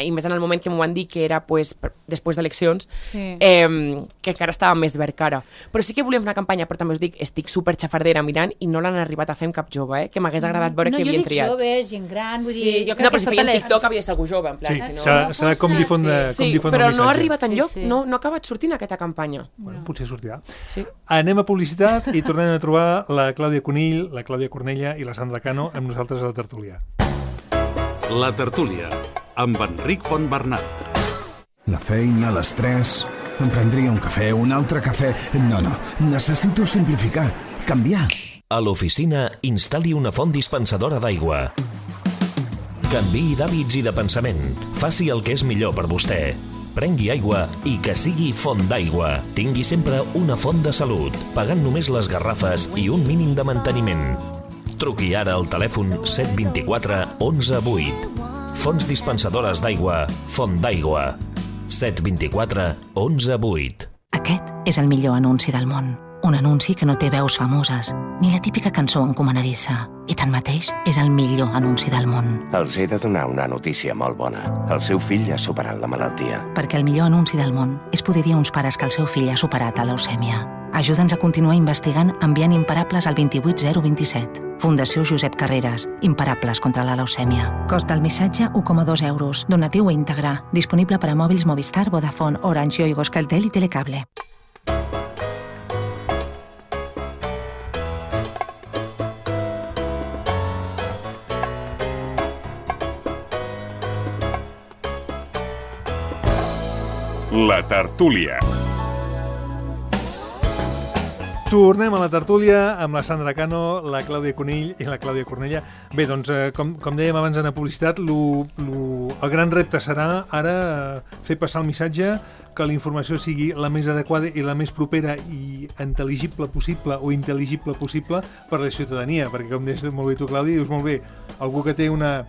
i més en el moment que m'ho van dir que era després d'eleccions, que encara estava més verd cara. Però sí que volíem fer una campanya, però també us dic, estic super xafardera mirant i no l'han arribat a fer amb cap jove, que m'hagués agradat veure que havien triat. No, jo dic jove, gent gran, vull dir... No, però si feien TikTok havia de ser algú jove, en plan. Sí, s'ha de com difondre el missatge. Sí, però no ha arribat enlloc, no ha acabat sortint aquesta campanya. Bueno, potser sortirà. Anem a publicitat i tornem a trobar la Clàudia Conill, la Clàudia Cornella i la Sandra Cano amb nosaltres a la tertúlia. La tertúlia amb Enric Fontbernat. La feina, l'estrès, Em prendria un cafè, un altre cafè... No, necessito simplificar, canviar. A l'oficina, instal·li una font dispensadora d'aigua. Canviï d'hàbits i de pensament. Faci el que és millor per vostè. Prengui aigua i que sigui font d'aigua. Tingui sempre una font de salut, pagant només les garrafes i un mínim de manteniment. Truqui ara al telèfon 724 11 8. Fonts dispensadores d'aigua, Font d'Aigua. 724 11 8. Aquest és el millor anunci del món. Un anunci que no té veus famoses, ni la típica cançó encomanadissa. I tanmateix és el millor anunci del món. Els he de donar una notícia molt bona. El seu fill ha superat la malaltia. Perquè el millor anunci del món és poder dir a uns pares que el seu fill ha superat la leucèmia. Ajuda'ns a continuar investigant enviant imparables al 28027. Fundació Josep Carreras. Imparables contra la leucèmia. Cost del missatge 1,2 euros. Donatiu íntegre. Disponible per a mòbils Movistar, Vodafone, Orange, Yoigo, Euskaltel i Telecable. La tertúlia. Tornem a la tertúlia amb la Sandra Cano, la Clàudia Conill i la Clàudia Cornella. Bé, doncs, com dèiem abans en la publicitat, el gran repte serà ara fer passar el missatge, que la informació sigui la més adequada i la més propera i intel·ligible possible o intel·ligible possible per a la ciutadania, perquè com deies molt bé tu, Clàudia, dius molt bé, algú que té una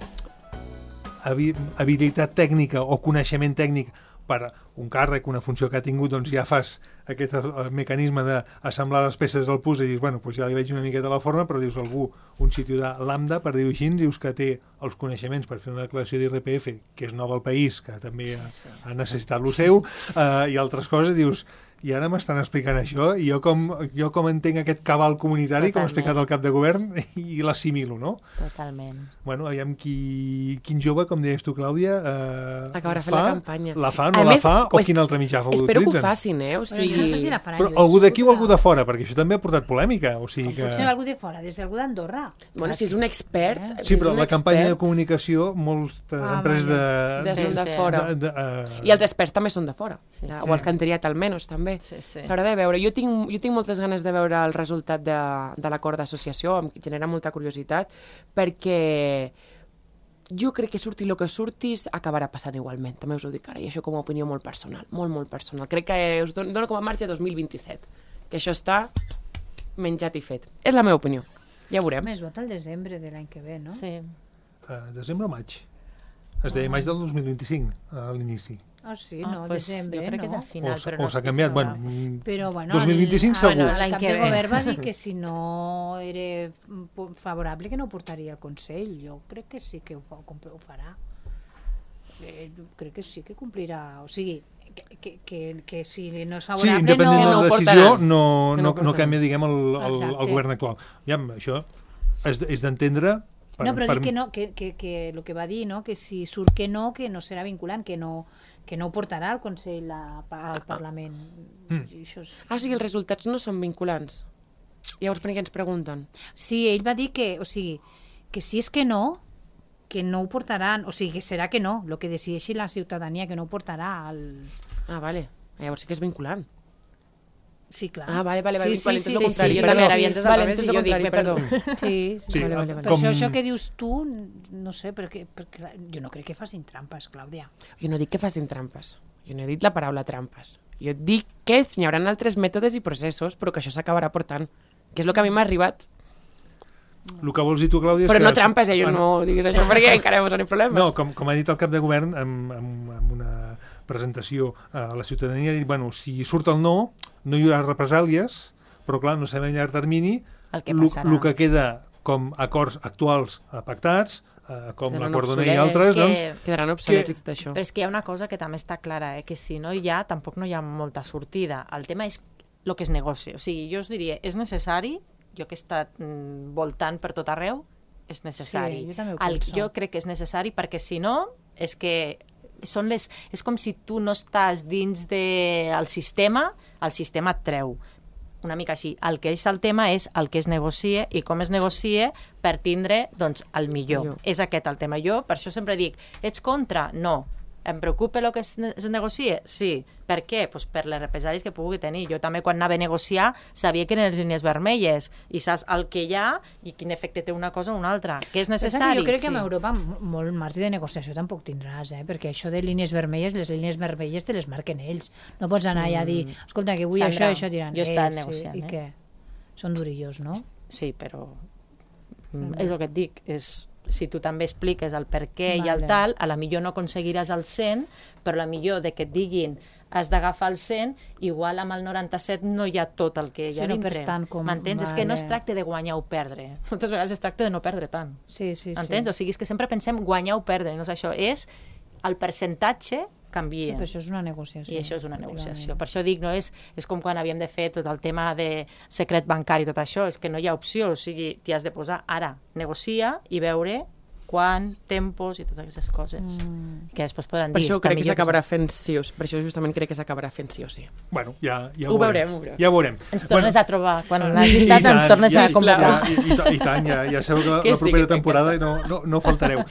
habilitat tècnica o coneixement tècnic per un càrrec, una funció que ha tingut, doncs ja fas aquest mecanisme d'assemblar les peces del puzzle i dius, bueno, doncs ja li veig una miqueta la forma, però dius algú, un ciutadà lambda, per dir-ho així, dius que té els coneixements per fer una declaració d'IRPF, que és nova al país, que també ha necessitat lo seu, i altres coses, dius, i ara m'estan explicant això, i jo com entenc aquest cabal comunitari, com ha explicat el cap de govern, i l'assimilo, no? Totalment. Bueno, aviam quin jove, com deies tu, Clàudia, acabarà fent la campanya. La fa, no la fa, o quin altre mitjà l'utilitzen? Espero que ho facin, o sigui... No sé si la faran. Però algú d'aquí o algú de fora, perquè això també ha portat polèmica, o sigui que... Potser algú de fora, des d'algú d'Andorra. Bueno, si és un expert... Sí, però la campanya de comunicació, moltes empreses són de fora. I els experts també són de fora. O els que han triat almenys, també. S'haurà de veure. Jo tinc moltes ganes de veure el resultat de l'acord d'associació, em genera molta curiositat, perquè jo crec que surti el que surtis acabarà passant igualment, també us ho dic ara, i això com a opinió molt personal, molt personal. Crec que us dono com a marge 2027, que això està menjat i fet. És la meva opinió, ja ho veurem. Més vot al desembre de l'any que ve, no? Sí. Desembre o maig? Es deia maig del 2025, a l'inici. Ah, sí, no, desembre, jo crec que és a final, però no o s'ha canviat, però, bueno, 2025 segur. El cap de govern va dir que si no era favorable que no ho portaria al Consell. Jo crec que sí que ho farà. Crec que sí que complirà. O sigui, que si no és favorable... Sí, independent de la decisió, no canvia, diguem, el govern actual. Ja, això és d'entendre... No, però dic que el que va dir, no? Que si surt que no serà vinculant, que no ho portarà al Consell al Parlament. O sigui, els resultats no són vinculants. Llavors, per què ens pregunten? Sí, ell va dir que si és que no ho portaran, o sigui, que serà que no, el que decideixi la ciutadania, que no ho portarà al... Ah, vale. Llavors sí que és vinculant. Sí, clar. Ah, vale, sí, entès el contrari. Vale, entès el contrari, perdó. Sí, vale. Per això que dius tu, no sé, perquè jo no crec que facin trampes, Clàudia. Jo no dic que facin trampes. Jo no he dit la paraula trampes. Jo dic que hi haurà altres mètodes i processos, però que això s'acabarà portant. Que és el que a mi m'ha arribat. El que vols dir tu, Clàudia... Però no trampes, jo no diguis això, perquè encara hi posaré problemes. No, com ha dit el cap de govern, amb una presentació a la ciutadania, ha dit, bueno, si surt el no hi haurà represàlies, però clar, no sabem a llarg termini el que queda com acords actuals pactats, com l'acord d'Ona i altres, doncs... Quedaran obsolets i tot això. Però és que hi ha una cosa que també està clara, que si no hi ha, tampoc no hi ha molta sortida. El tema és el que es negocia. O sigui, jo us diria, és necessari, jo que he estat voltant per tot arreu, és necessari. Sí, jo també ho penso. Jo crec que és necessari perquè si no, és que és com si tu no estàs dins del sistema, el sistema et treu. Una mica així. El que és el tema és el que es negocia i com es negocia per tindre, doncs, el millor. És aquest el tema. Jo per això sempre dic, ets contra? No. Em preocupa el que es negocia? Sí. Per què? Pues per les represàlies que pugui tenir. Jo també quan anava a negociar sabia que eren les línies vermelles i saps el que hi ha i quin efecte té una cosa o una altra. Que és necessari? Jo crec que en Europa molt marge de negociació tampoc tindràs, perquè això de línies vermelles, les línies vermelles te les marquen ells. No pots anar allà a dir, escolta, que vull Sandra, això diran jo he estat negociant, i què? Són durillos, no? Sí, però és el que et dic, si tu també expliques el per què i el tal, a la millor no aconseguiràs el 100, però a la millor de que et diguin has d'agafar el 100, igual amb el 97 no hi ha tot el que hi ha dintre. M'entens? És que no es tracta de guanyar o perdre. Moltes vegades es tracta de no perdre tant. Sí. Entens? O sigui, és que sempre pensem guanyar o perdre. No és això, és el percentatge canvia. Sí, però això és una negociació. I això és una negociació. Per això dic, no és com quan havíem de fer tot el tema de secret bancari i tot això, és que no hi ha opció, o sigui, t'hi has de posar ara, negocia i veure quan, tempos i totes aquestes coses que després podran dir. Per això crec que s'acabarà fent sí o sí. Per això justament crec que s'acabarà fent sí o sí. Bueno, ja ho veurem. Ja ho veurem. Ens tornes a trobar. Quan l'has llistat ens tornes a convocar. I tant, ja sabeu que la propera temporada no faltareu.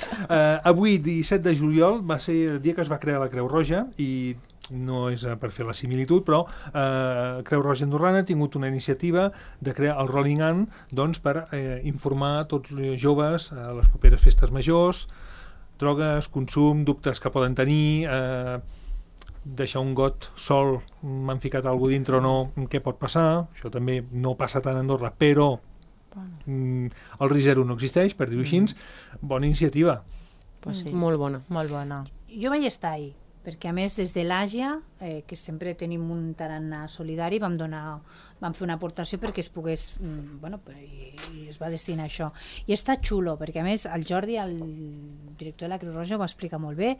Avui, 17 de juliol, va ser el dia que es va crear la Creu Roja i no és per fer la similitud, però Creu Roja Andorrana ha tingut una iniciativa de crear el Rolling On, doncs, per informar tots els joves a les properes festes majors, drogues, consum, dubtes que poden tenir, deixar un got sol, m'han ficat alguna dintre o no, què pot passar, això també no passa tant a Andorra, però el risc zero no existeix, per dir-ho així, bona iniciativa. Pues sí. Molt bona. Molt bona. Jo vaig estar ahí, perquè a més des de l'Àgia, que sempre tenim un tarannà solidari, vam fer una aportació perquè es pogués, i es va destinar a això. I està xulo, perquè a més el Jordi, el director de la Creu Roja, ho va explicar molt bé,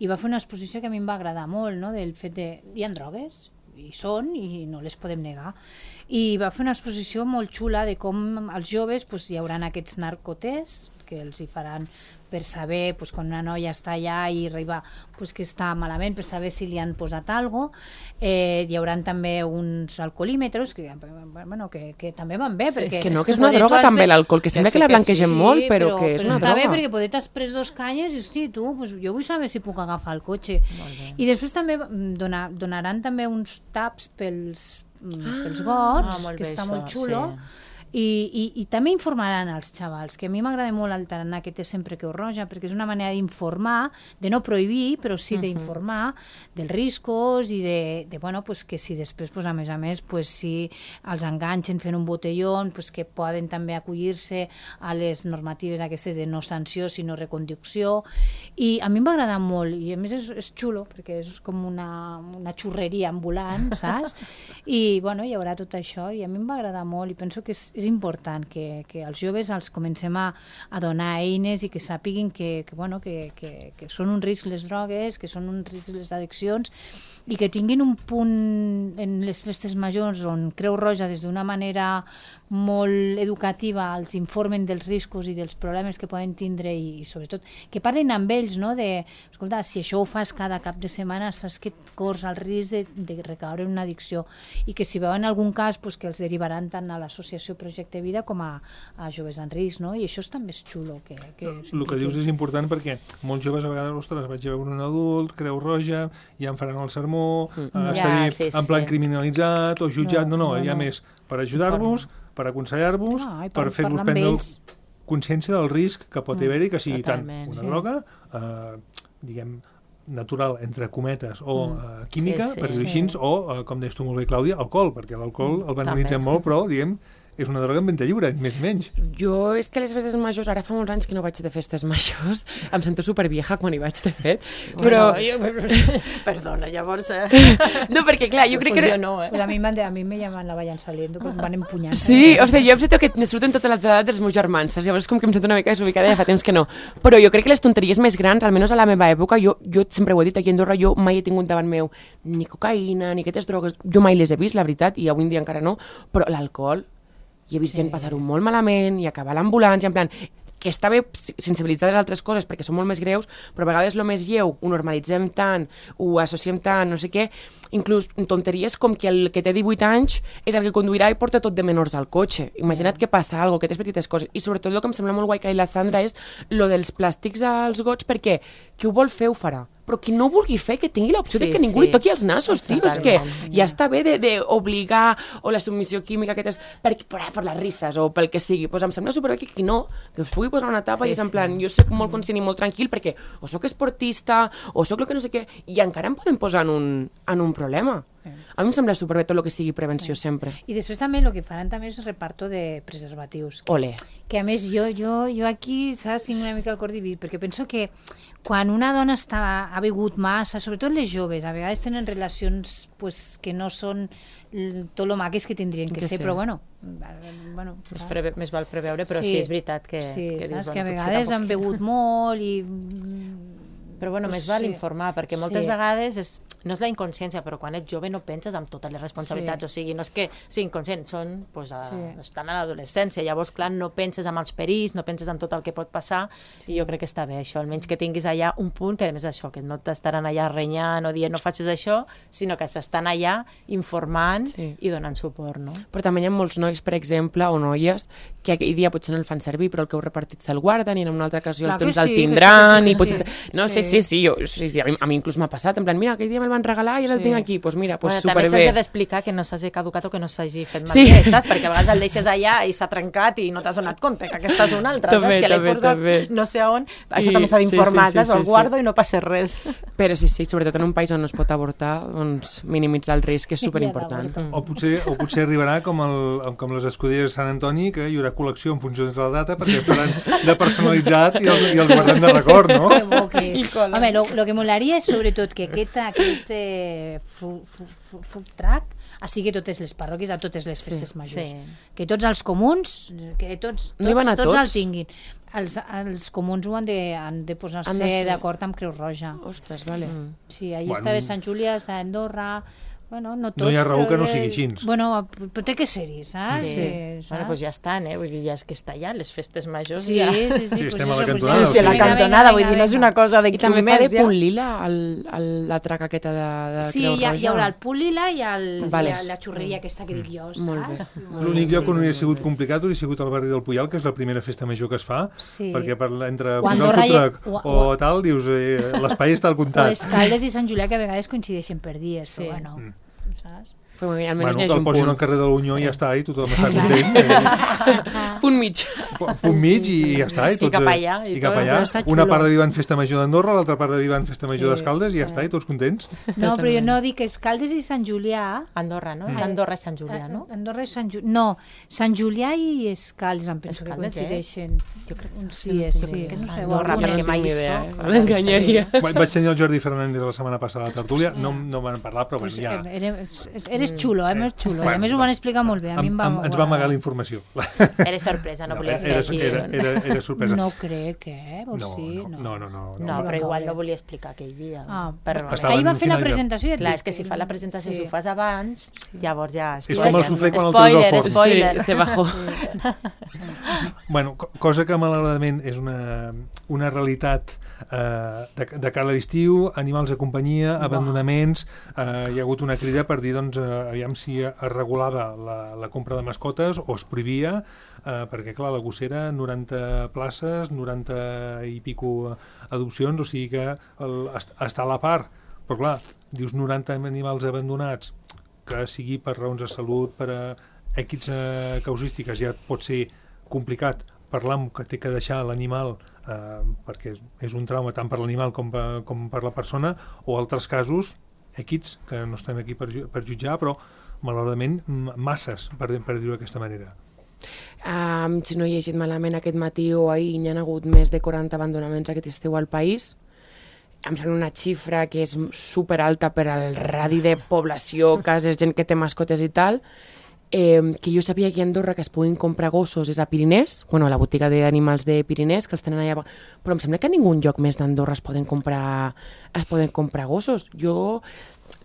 i va fer una exposició que a mi em va agradar molt, no? Del fet de, hi ha drogues, i són, i no les podem negar. I va fer una exposició molt xula de com els joves hi haurà aquests narcotests que els hi faran per saber, quan una noia està allà i arriba que està malament, per saber si li han posat alguna cosa. Hi haurà també uns alcoholímetres que també van bé. Que no, que és una droga també l'alcohol, que sembla que la blanquegem molt, però que és una droga. Està bé perquè potser t'has pres 2 canyes i, hosti, tu, jo vull saber si puc agafar el cotxe. I després també donaran també uns taps pels gots, que està molt xulo. I també informaran els xavals, que a mi m'agrada molt el tarannà que té sempre Creu Roja, perquè és una manera d'informar, de no prohibir, però sí d'informar dels riscos i que si després, a més, si els enganxen fent un botelló, que poden també acollir-se a les normatives aquestes de no sanció, sinó reconducció. I a mi em va agradar molt, i a més és xulo, perquè és com una xurreria ambulant, saps? I hi haurà tot això, i a mi em va agradar molt, i penso que és important que els joves els comencem a donar eines i que sàpiguin que són un risc les drogues, que són un risc les addiccions, i que tinguin un punt en les festes majors on Creu Roja des d'una manera molt educativa els informen dels riscos i dels problemes que poden tindre i sobretot que parlen amb ells, no? Escolta, si això ho fas cada cap de setmana saps que et corres el risc de recaure en una addicció i que si veuen algun cas que els derivaran tant a l'associació Projecte Vida com a joves en risc, no? I això també és xulo. El que dius és important perquè molts joves a vegades, ostres, vaig a veure un adult, Creu Roja, ja em faran el sermó, estaré en plan criminalitzat o jutjat, no, hi ha més per ajudar-vos, per aconsellar-vos, per fer-vos prendre consciència del risc que pot haver-hi, que sigui tant una droga, diguem, natural, entre cometes, o química, per dir-ho així, o, com deies tu molt bé, Clàudia, alcohol, perquè l'alcohol el banalitzem molt, però, diguem, és una droga en venda lliure, més o menys. Jo és que les festes majors, ara fa molts anys que no vaig de festes majors, em sento supervieja quan hi vaig, de fet, però... Perdona, llavors... No, perquè clar, jo crec que... Jo no, A mi me llaman la vayan saliendo, perquè em van empunyant. Sí, o sigui, jo em sento que me surten totes les edats dels meus germans, llavors com que em sento una mica desubicada, ja fa temps que no. Però jo crec que les tonteries més grans, almenys a la meva època, jo sempre ho he dit aquí a Andorra, jo mai he tingut davant meu ni cocaïna, ni aquestes drogues, jo mai les he vist, la veritat, i avui en dia encara no, però l'alcohol, i he vist gent passar-ho molt malament i acabar a l'ambulància, en plan, que està bé sensibilitzar les altres coses perquè són molt més greus, però a vegades el més lleu ho normalitzem tant, ho associem tant, no sé què, inclús tonteries com que el que té 18 anys és el que conduirà i porta tot de menors al cotxe. Imagina't que passa alguna cosa, aquestes petites coses. I sobretot el que em sembla molt guai que ha dit la Sandra és lo dels plàstics als gots, perquè qui ho vol fer ho farà. però qui no vulgui fer, que tingui l'opció de que ningú li toqui els nassos, tio, és que ja està bé d'obligar, o la submissió química, per les risses, o pel que sigui, doncs em sembla superbé que qui no, que us pugui posar una tapa i és en plan, jo soc molt conscient i molt tranquil perquè o soc esportista, o soc el que no sé què, i encara em podem posar en un problema. A mi em sembla superbé tot el que sigui prevenció sempre. I després també el que faran també és reparto de preservatius. Ole. Que a més jo aquí, saps, tinc una mica el cor dividit, perquè penso que quan una dona ha begut massa, sobretot les joves, a vegades tenen relacions pues, que no són tot lo maques que tindrien que ser, però bueno... Més val preveure, però sí és veritat que... Sí, saps que a vegades han begut molt i... Però bueno, més val informar, perquè moltes vegades no és la inconsciència, però quan ets jove no penses en totes les responsabilitats, o sigui, no és que sigui inconscient, estan a l'adolescència, llavors, clar, no penses en els perills, no penses en tot el que pot passar, i jo crec que està bé això, almenys que tinguis allà un punt, que a més això, que no t'estaran allà renyant o dient no facis això, sinó que s'estan allà informant i donant suport, no? Però també hi ha molts nois, per exemple, o noies, que aquell dia potser no el fan servir, però el que heu repartit se'l guarden i en una altra ocasió el tindran, i potser... No, sí, a mi inclús m'ha passat, en plan, mira, aquell dia me'l van regalar i ara el tinc aquí, doncs mira, superbé. També s'has d'explicar que no s'hagi caducat o que no s'hagi fet malbé, saps? Perquè a vegades el deixes allà i s'ha trencat i no t'has donat compte que aquesta és una altra, saps? Que l'he posat no sé on, això també s'ha d'informar, saps? El guardo i no passa res. Però sí, sobretot en un país on no es pot avortar, doncs minimitzar el risc és superimportant. O potser arribarà com les escuderies de Sant Antoni, que hi haurà col·lecció en funció de la data, perquè faran de personalitzat i els guardem de record, no? Home, el que molaria és sobretot que aquest food truck estigui a totes les parròquies, a totes les festes majors. Que tots els comuns, que tots el tinguin. Els comuns ho han de posar-se d'acord amb Creu Roja. Ostres, vale. Sí, allà està bé Sant Julià, està Andorra... Bueno, no hi ha raó que no sigui així. Bueno, però té que ser-hi, saps? Bueno, doncs ja estan, vull dir, ja és que està allà, les festes majors ja... Sí, estem a la cantonada. Sí, a la cantonada, vull dir, no és una cosa d'aquí un mes. I també fa de punt lila la traca aquesta de Creu Roja. Sí, hi haurà el punt lila i la xurreria aquesta que dic jo, saps? L'únic lloc on hauria sigut complicat hauria sigut el barri del Puyal, que és la primera festa major que es fa, perquè entre posar el food truck o tal, dius, l'espai està al comptat. O Escaldes i Sant Julià, que a vegades coincideixen per dies, però bueno... saps? Bueno, que el posin al carrer de l'Unió i ja està, i tothom està content. Punt mig. Punt mig i ja està. I cap allà. Una part de Vivan Festa Major d'Andorra, l'altra part de Vivan Festa Major d'Escaldes i ja està, i tots contents. No, però jo no dic Escaldes i Sant Julià. Andorra, no? És Andorra i Sant Julià, no? Andorra i Sant Julià. No, Sant Julià i Escaldes em penso que coincideixen. Jo crec que sí. Que no sé, Andorra, perquè mai hi soc. L'enganyaria. Vaig tenir el Jordi Fernández la setmana passada a la tertúlia, no van parlar, però ja... Eres xulo, més xulo. A més ho van explicar molt bé. Ens va amagar la informació. Era sorpresa, no volia fer aquí. Era sorpresa. No crec, o sí? No, però igual no volia explicar aquell dia. Ahir va fer la presentació. Clar, és que si fa la presentació, si ho fas abans, llavors ja... És com el suflé quan el treus al forn. Spoiler, se bajó. Bueno, cosa que malauradament és una realitat de cara a l'estiu, animals de companyia, abandonaments, hi ha hagut una crida per dir, doncs, aviam si es regulava la compra de mascotes o es prohibia, perquè, clar, la gossera, 90 places, 90 i pico adopcions, o sigui que està a la part. Però, clar, dius 90 animals abandonats, que sigui per raons de salut, per X causístiques, ja pot ser complicat parlar que té que deixar l'animal perquè és un trauma tant per l'animal com per la persona, o altres casos X, que no estem aquí per jutjar, però malauradament masses, per dir-ho d'aquesta manera. Si no he llegit malament aquest matí o ahir, hi ha hagut més de 40 abandonaments aquest estiu al país. Em sembla una xifra que és superalta per al radi de població, cases, gent que té mascotes i tal, que jo sabia que a Andorra que es puguin comprar gossos és a Pirinès, bueno, a la botiga d'animals de Pirinès, que els tenen allà, però em sembla que a ningú lloc més d'Andorra es poden comprar gossos. Jo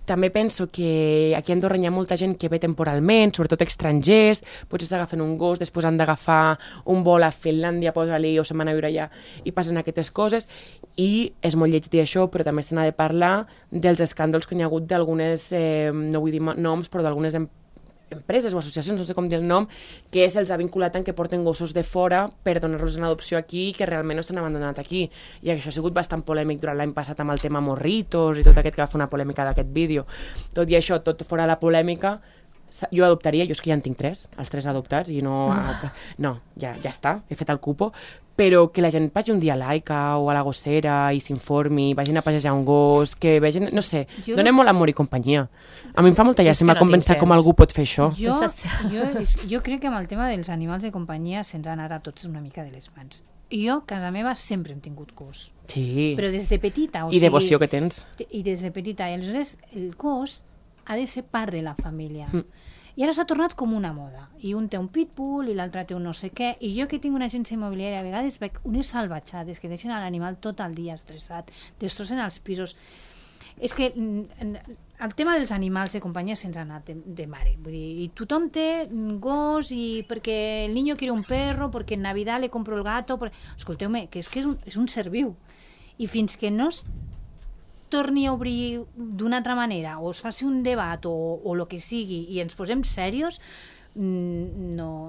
també penso que aquí a Andorra hi ha molta gent que ve temporalment, sobretot estrangers, potser s'agafen un gos, després han d'agafar un vol a Finlàndia, posa-li, o se'n van a viure allà, i passen aquestes coses, i és molt lleig dir això, però també se n'ha de parlar dels escàndols que hi ha hagut d'algunes, no vull dir noms, però d'algunes empreses o associacions, no sé com dir el nom, que se'ls ha vinculat en que porten gossos de fora per donar-los en adopció aquí i que realment no s'han abandonat aquí. I això ha sigut bastant polèmic durant l'any passat amb el tema Morritos i tot aquest que va fer una polèmica d'aquest vídeo. Tot i això, tot fora la polèmica, jo adoptaria, jo és que ja en tinc 3, els 3 adoptats, i no, ja està, he fet el cupo, però que la gent vagi un dia a l'Aica o a la Gossera i s'informi, vagin a passejar un gos, que vegin, no sé, donem molt amor i companyia. A mi em fa molta llàstima pensar com algú pot fer això. Jo crec que amb el tema dels animals de companyia se'ns ha anat a tots una mica de les mans. Jo, a casa meva, sempre hem tingut gos. Sí. Però des de petita. I devoció que tens. I des de petita. I aleshores el gos ha de ser part de la família. I ara s'ha tornat com una moda. I un té un pitbull i l'altre té un no sé què. I jo que tinc una agència immobiliària, a vegades veig unes salvatjades que deixen l'animal tot el dia estressat, destrossen els pisos. És que el tema dels animals de companyia se'ns ha anat de mare. Vull dir, i tothom té gos i perquè el niño quiere un perro, perquè en Navidad le compro el gato. Escolteu-me, que és un ser viu. I fins que no torni a obrir d'una altra manera o es faci un debat o el que sigui i ens posem serios, no.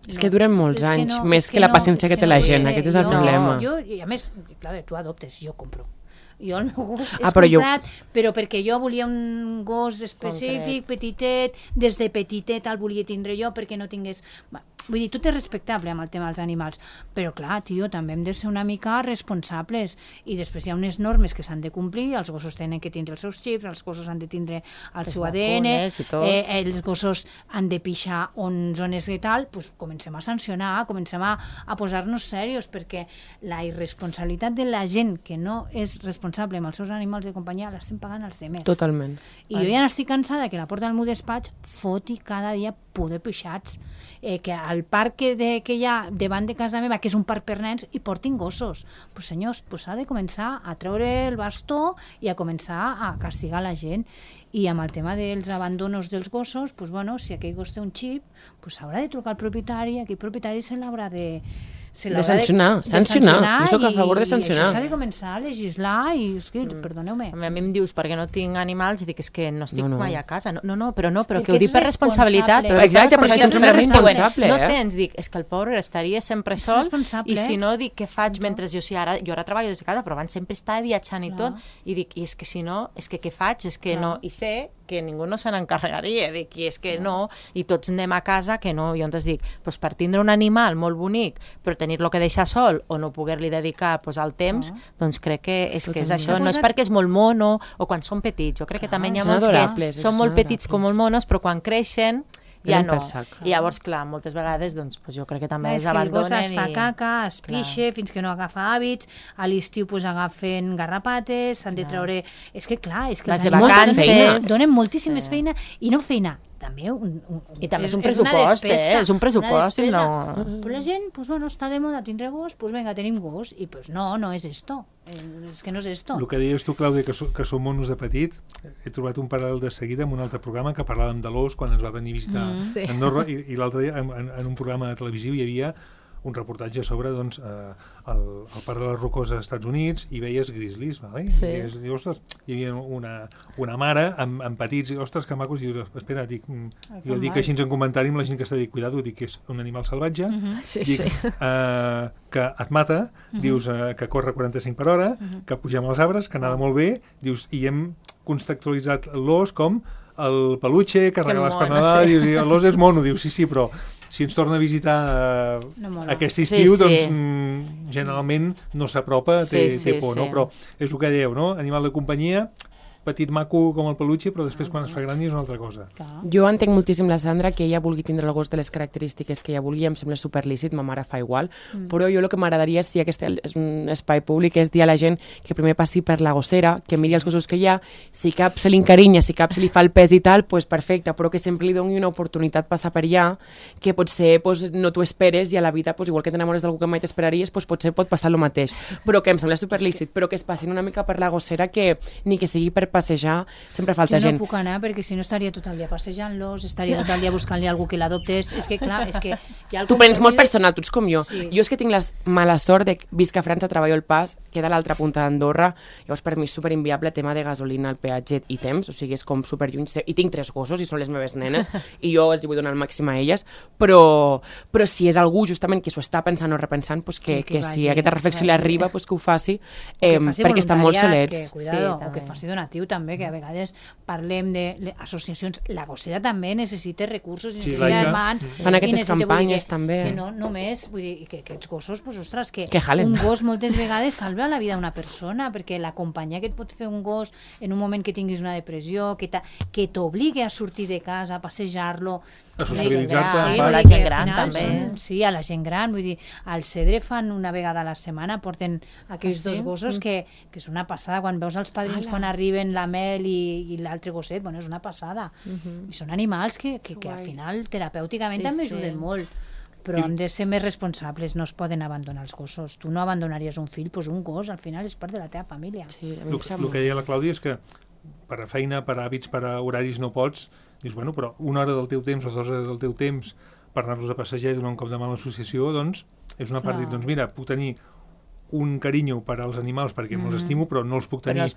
És que duren molts anys, més que la paciència que té la gent, aquest és el problema. I a més, clar, tu adoptes, jo compro. Jo el meu gos és comprat, però perquè jo volia un gos específic, petitet, des de petitet el volia tindre jo perquè no tingués... Vull dir, tot és respectable amb el tema dels animals, però clar, tio, també hem de ser una mica responsables i després hi ha unes normes que s'han de complir, els gossos tenen que tindre els seus xips, els gossos han de tindre el seu ADN, els gossos han de pixar on zones i tal, doncs comencem a sancionar, comencem a posar-nos serios, perquè la irresponsabilitat de la gent que no és responsable amb els seus animals de companyia l'estem pagant els demés. Totalment. I jo ja n'estic cansada que la porta del meu despatx foti cada dia poder pixats, que al parc que hi ha davant de casa meva, que és un parc per nens, hi portin gossos. Pues senyors, s'ha de començar a treure el bastó i a començar a castigar la gent. I amb el tema dels abandonos dels gossos, si aquell gos té un xip, s'haurà de trucar al propietari, aquell propietari se l'haurà de sancionar. Jo soc a favor de sancionar. I això s'ha de començar a legislar i, perdoneu-me. A mi em dius, perquè no tinc animals, i dic, és que no estic mai a casa. Però que ho dic per responsabilitat. Exacte, però és que tu ets responsable. No tens, dic, és que el pobre estaria sempre sol, i si no, dic, què faig mentre jo ara treballo des de casa, però abans sempre estava viatjant i tot, i dic, i és que si no, és que què faig? És que no, i sé que ningú no se n'encarregaria, dic, i és que no, i tots anem a casa, que no, i on es dic, per tindre un animal molt bonic, però tenir-lo que deixar sol o no poder-li dedicar el temps, doncs crec que és això, no és perquè és molt mono o quan són petits, jo crec que també hi ha molts que són molt petits com molt monos, però quan creixen ja no. I llavors, clar, moltes vegades jo crec que també es abandonen. El gos es fa caca, es pixe fins que no agafa hàbits, a l'estiu agafen garrapates, s'han de treure... És que clar, és que les vacances donen moltíssimes feina i no feina. També i també és un pressupost, és un pressupost. Però la gent, està de moda tindre gos, vinga, tenim gos, i no és esto. És que no és esto. El que deies tu, Clàudia, que som monos de petit, he trobat un paral·lel de seguida en un altre programa que parlàvem de l'os quan ens va venir a visitar a Andorra, i l'altre dia en un programa televisiu hi havia un reportatge sobre el parc de les Rocoses als Estats Units i veies grizzlies, vale? I, ostres, hi havia una mare amb petits, i ostres, que macos, i dius, espera, jo dic així en comentari amb la gent que està dit, cuidado, dic que és un animal salvatge, que et mata, dius que corre 45 per hora, que pugem als arbres, que nada molt bé, dius, i hem contextualitzat l'os com el peluche, que regala l'esplanada, l'os és mono, dius, sí, però si ens torna a visitar aquest estiu, doncs generalment no s'apropa, té por, no? Però és el que dèieu, no? Animal de companyia, petit maco com el peluche, però després quan es fa gran és una altra cosa. Jo entenc moltíssim la Sandra que ella vulgui tindre el gos de les característiques que ella vulgui, em sembla superlícit, ma mare fa igual, però jo el que m'agradaria, si aquest és un espai públic, és dir a la gent que primer passi per la gossera, que miri els gossos que hi ha, si cap se li encarinya, si cap se li fa el pes i tal, doncs perfecte, però que sempre li doni una oportunitat passar per allà, que potser no t'ho esperes i a la vida, igual que t'enamores d'algú que mai t'esperaries, potser pot passar el mateix, però que em sembla superlícit, però que es passin una mica per la gossera, que ni que sigui per passejar sempre falta gent. Jo no puc anar perquè si no estaria tot el dia passejant-los, estaria tot el dia buscant-li algú que l'adoptés. És que, clar, és que... Tu vens molt personal, tu ets com jo. Jo és que tinc la mala sort de visc a França, treballo al Pas, queda a l'altra punta d'Andorra, llavors per mi és superinviable el tema de gasolina, el peatge i temps, o sigui, és com superlluny. I tinc 3 gossos i són les meves nenes i jo els vull donar el màxim a elles, però si és algú justament que s'ho està pensant o repensant, que si aquesta reflexió li arriba, que ho faci, perquè estan molt solets. O que faci donatiu també, que a vegades parlem d'associacions. La gossera també necessita recursos, necessita mans. Fan aquestes campanyes també. Que no només, vull dir, que aquests gossos, ostres, que jalen. Un gos moltes vegades salva la vida d'una persona, perquè la companyia que et pot fer un gos en un moment que tinguis una depressió, que t'obligui a sortir de casa, a passejar-lo, a socialitzar-te a la gent gran també. Sí, a la gent gran, vull dir, al Cedre fan una vegada a la setmana, porten aquells 2 gossos que és una passada, quan veus els padrins quan arriben la Mel i l'altre gosset, bueno, és una passada. I són animals que al final terapèuticament també ajuden molt, però hem de ser més responsables, no es poden abandonar els gossos. Tu no abandonaries un fill, doncs un gos al final és part de la teva família. El que deia la Clàudia és que per a feina, per a hàbits, per a horaris no pots. Dius, bueno, però 1 hora del teu temps o 2 hores del teu temps per anar-los a passejar i donar un cop de mà a l'associació, doncs, és una part, doncs mira, puc tenir un carinyo per als animals perquè me'ls estimo, però no els puc tenir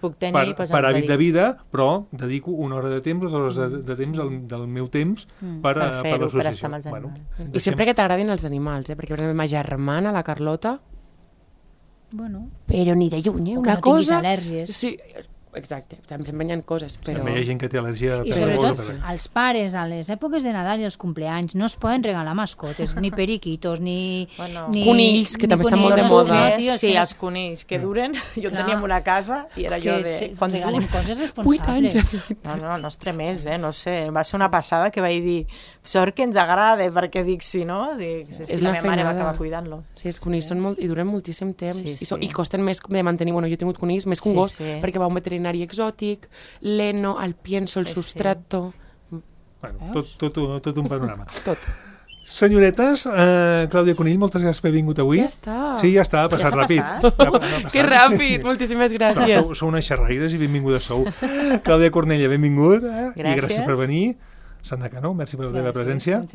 per hàbit de vida, però dedico 1 hora de temps o 2 hores de temps del meu temps per l'associació. I sempre que t'agradin els animals, perquè per exemple, ma germana, la Carlota, però ni de lluny, una cosa... Que no tinguis al·lèrgies. Sí, exacte, sempre hi ha coses, però... També hi ha gent que té al·lèrgia... I sobretot els pares, a les èpoques de Nadal i els cumpleanys, no es poden regalar mascotes, ni periquitos, ni conills, que també estan molt de moda. Sí, els conills, que duren. Jo teníem una casa i era jo de... Quan regalem coses responsables. No es tremés, no sé. Va ser una passada que vaig dir, sort que ens agrada, perquè dic, si no, la meva mare va acabar cuidant-lo. Sí, els conills són molt... i duren moltíssim temps. I costen més de mantenir... Bueno, jo he tingut conills més que un gos, perquè va un veterinari exòtic, l'eno, el pienso, el sustrato... Bueno, tot un panorama. Tot. Senyoretes, Clàudia Conill, moltes gràcies per haver vingut avui. Ja està. Sí, ja està, ha passat ràpid. Que ràpid, moltíssimes gràcies. Sou unes xerraires i benvingudes sou. Clàudia Cornella, benvingut. I gràcies per venir. Sandra Cano, merci per la teva presència.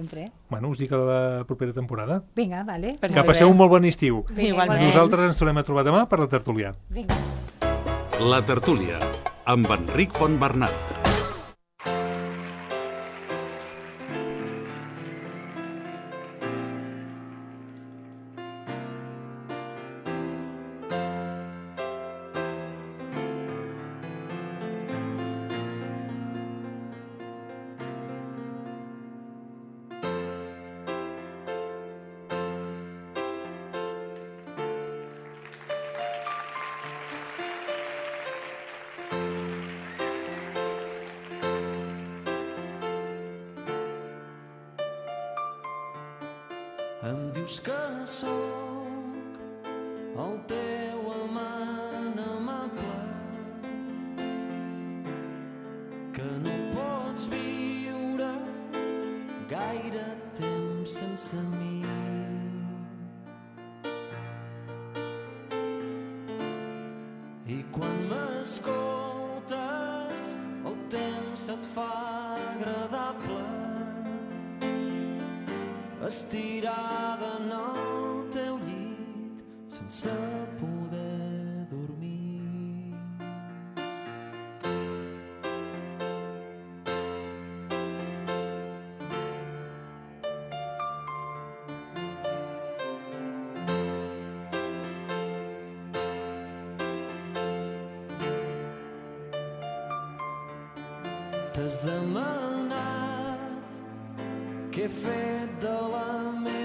Bueno, us dic a la propera temporada. Vinga, vale. Que passeu un molt bon estiu. Igualment. Nosaltres ens tornem a trobar demà per la tertúlia. Vinga. La tertúlia, amb Enric Fontbernat. Em dius que sóc el teu amant amable, que no pots viure gaire temps sense mi. I quan m'escoltes el temps se't fa agradable, estirada en el teu llit sense poder dormir. T'has demanat què he fet de la meva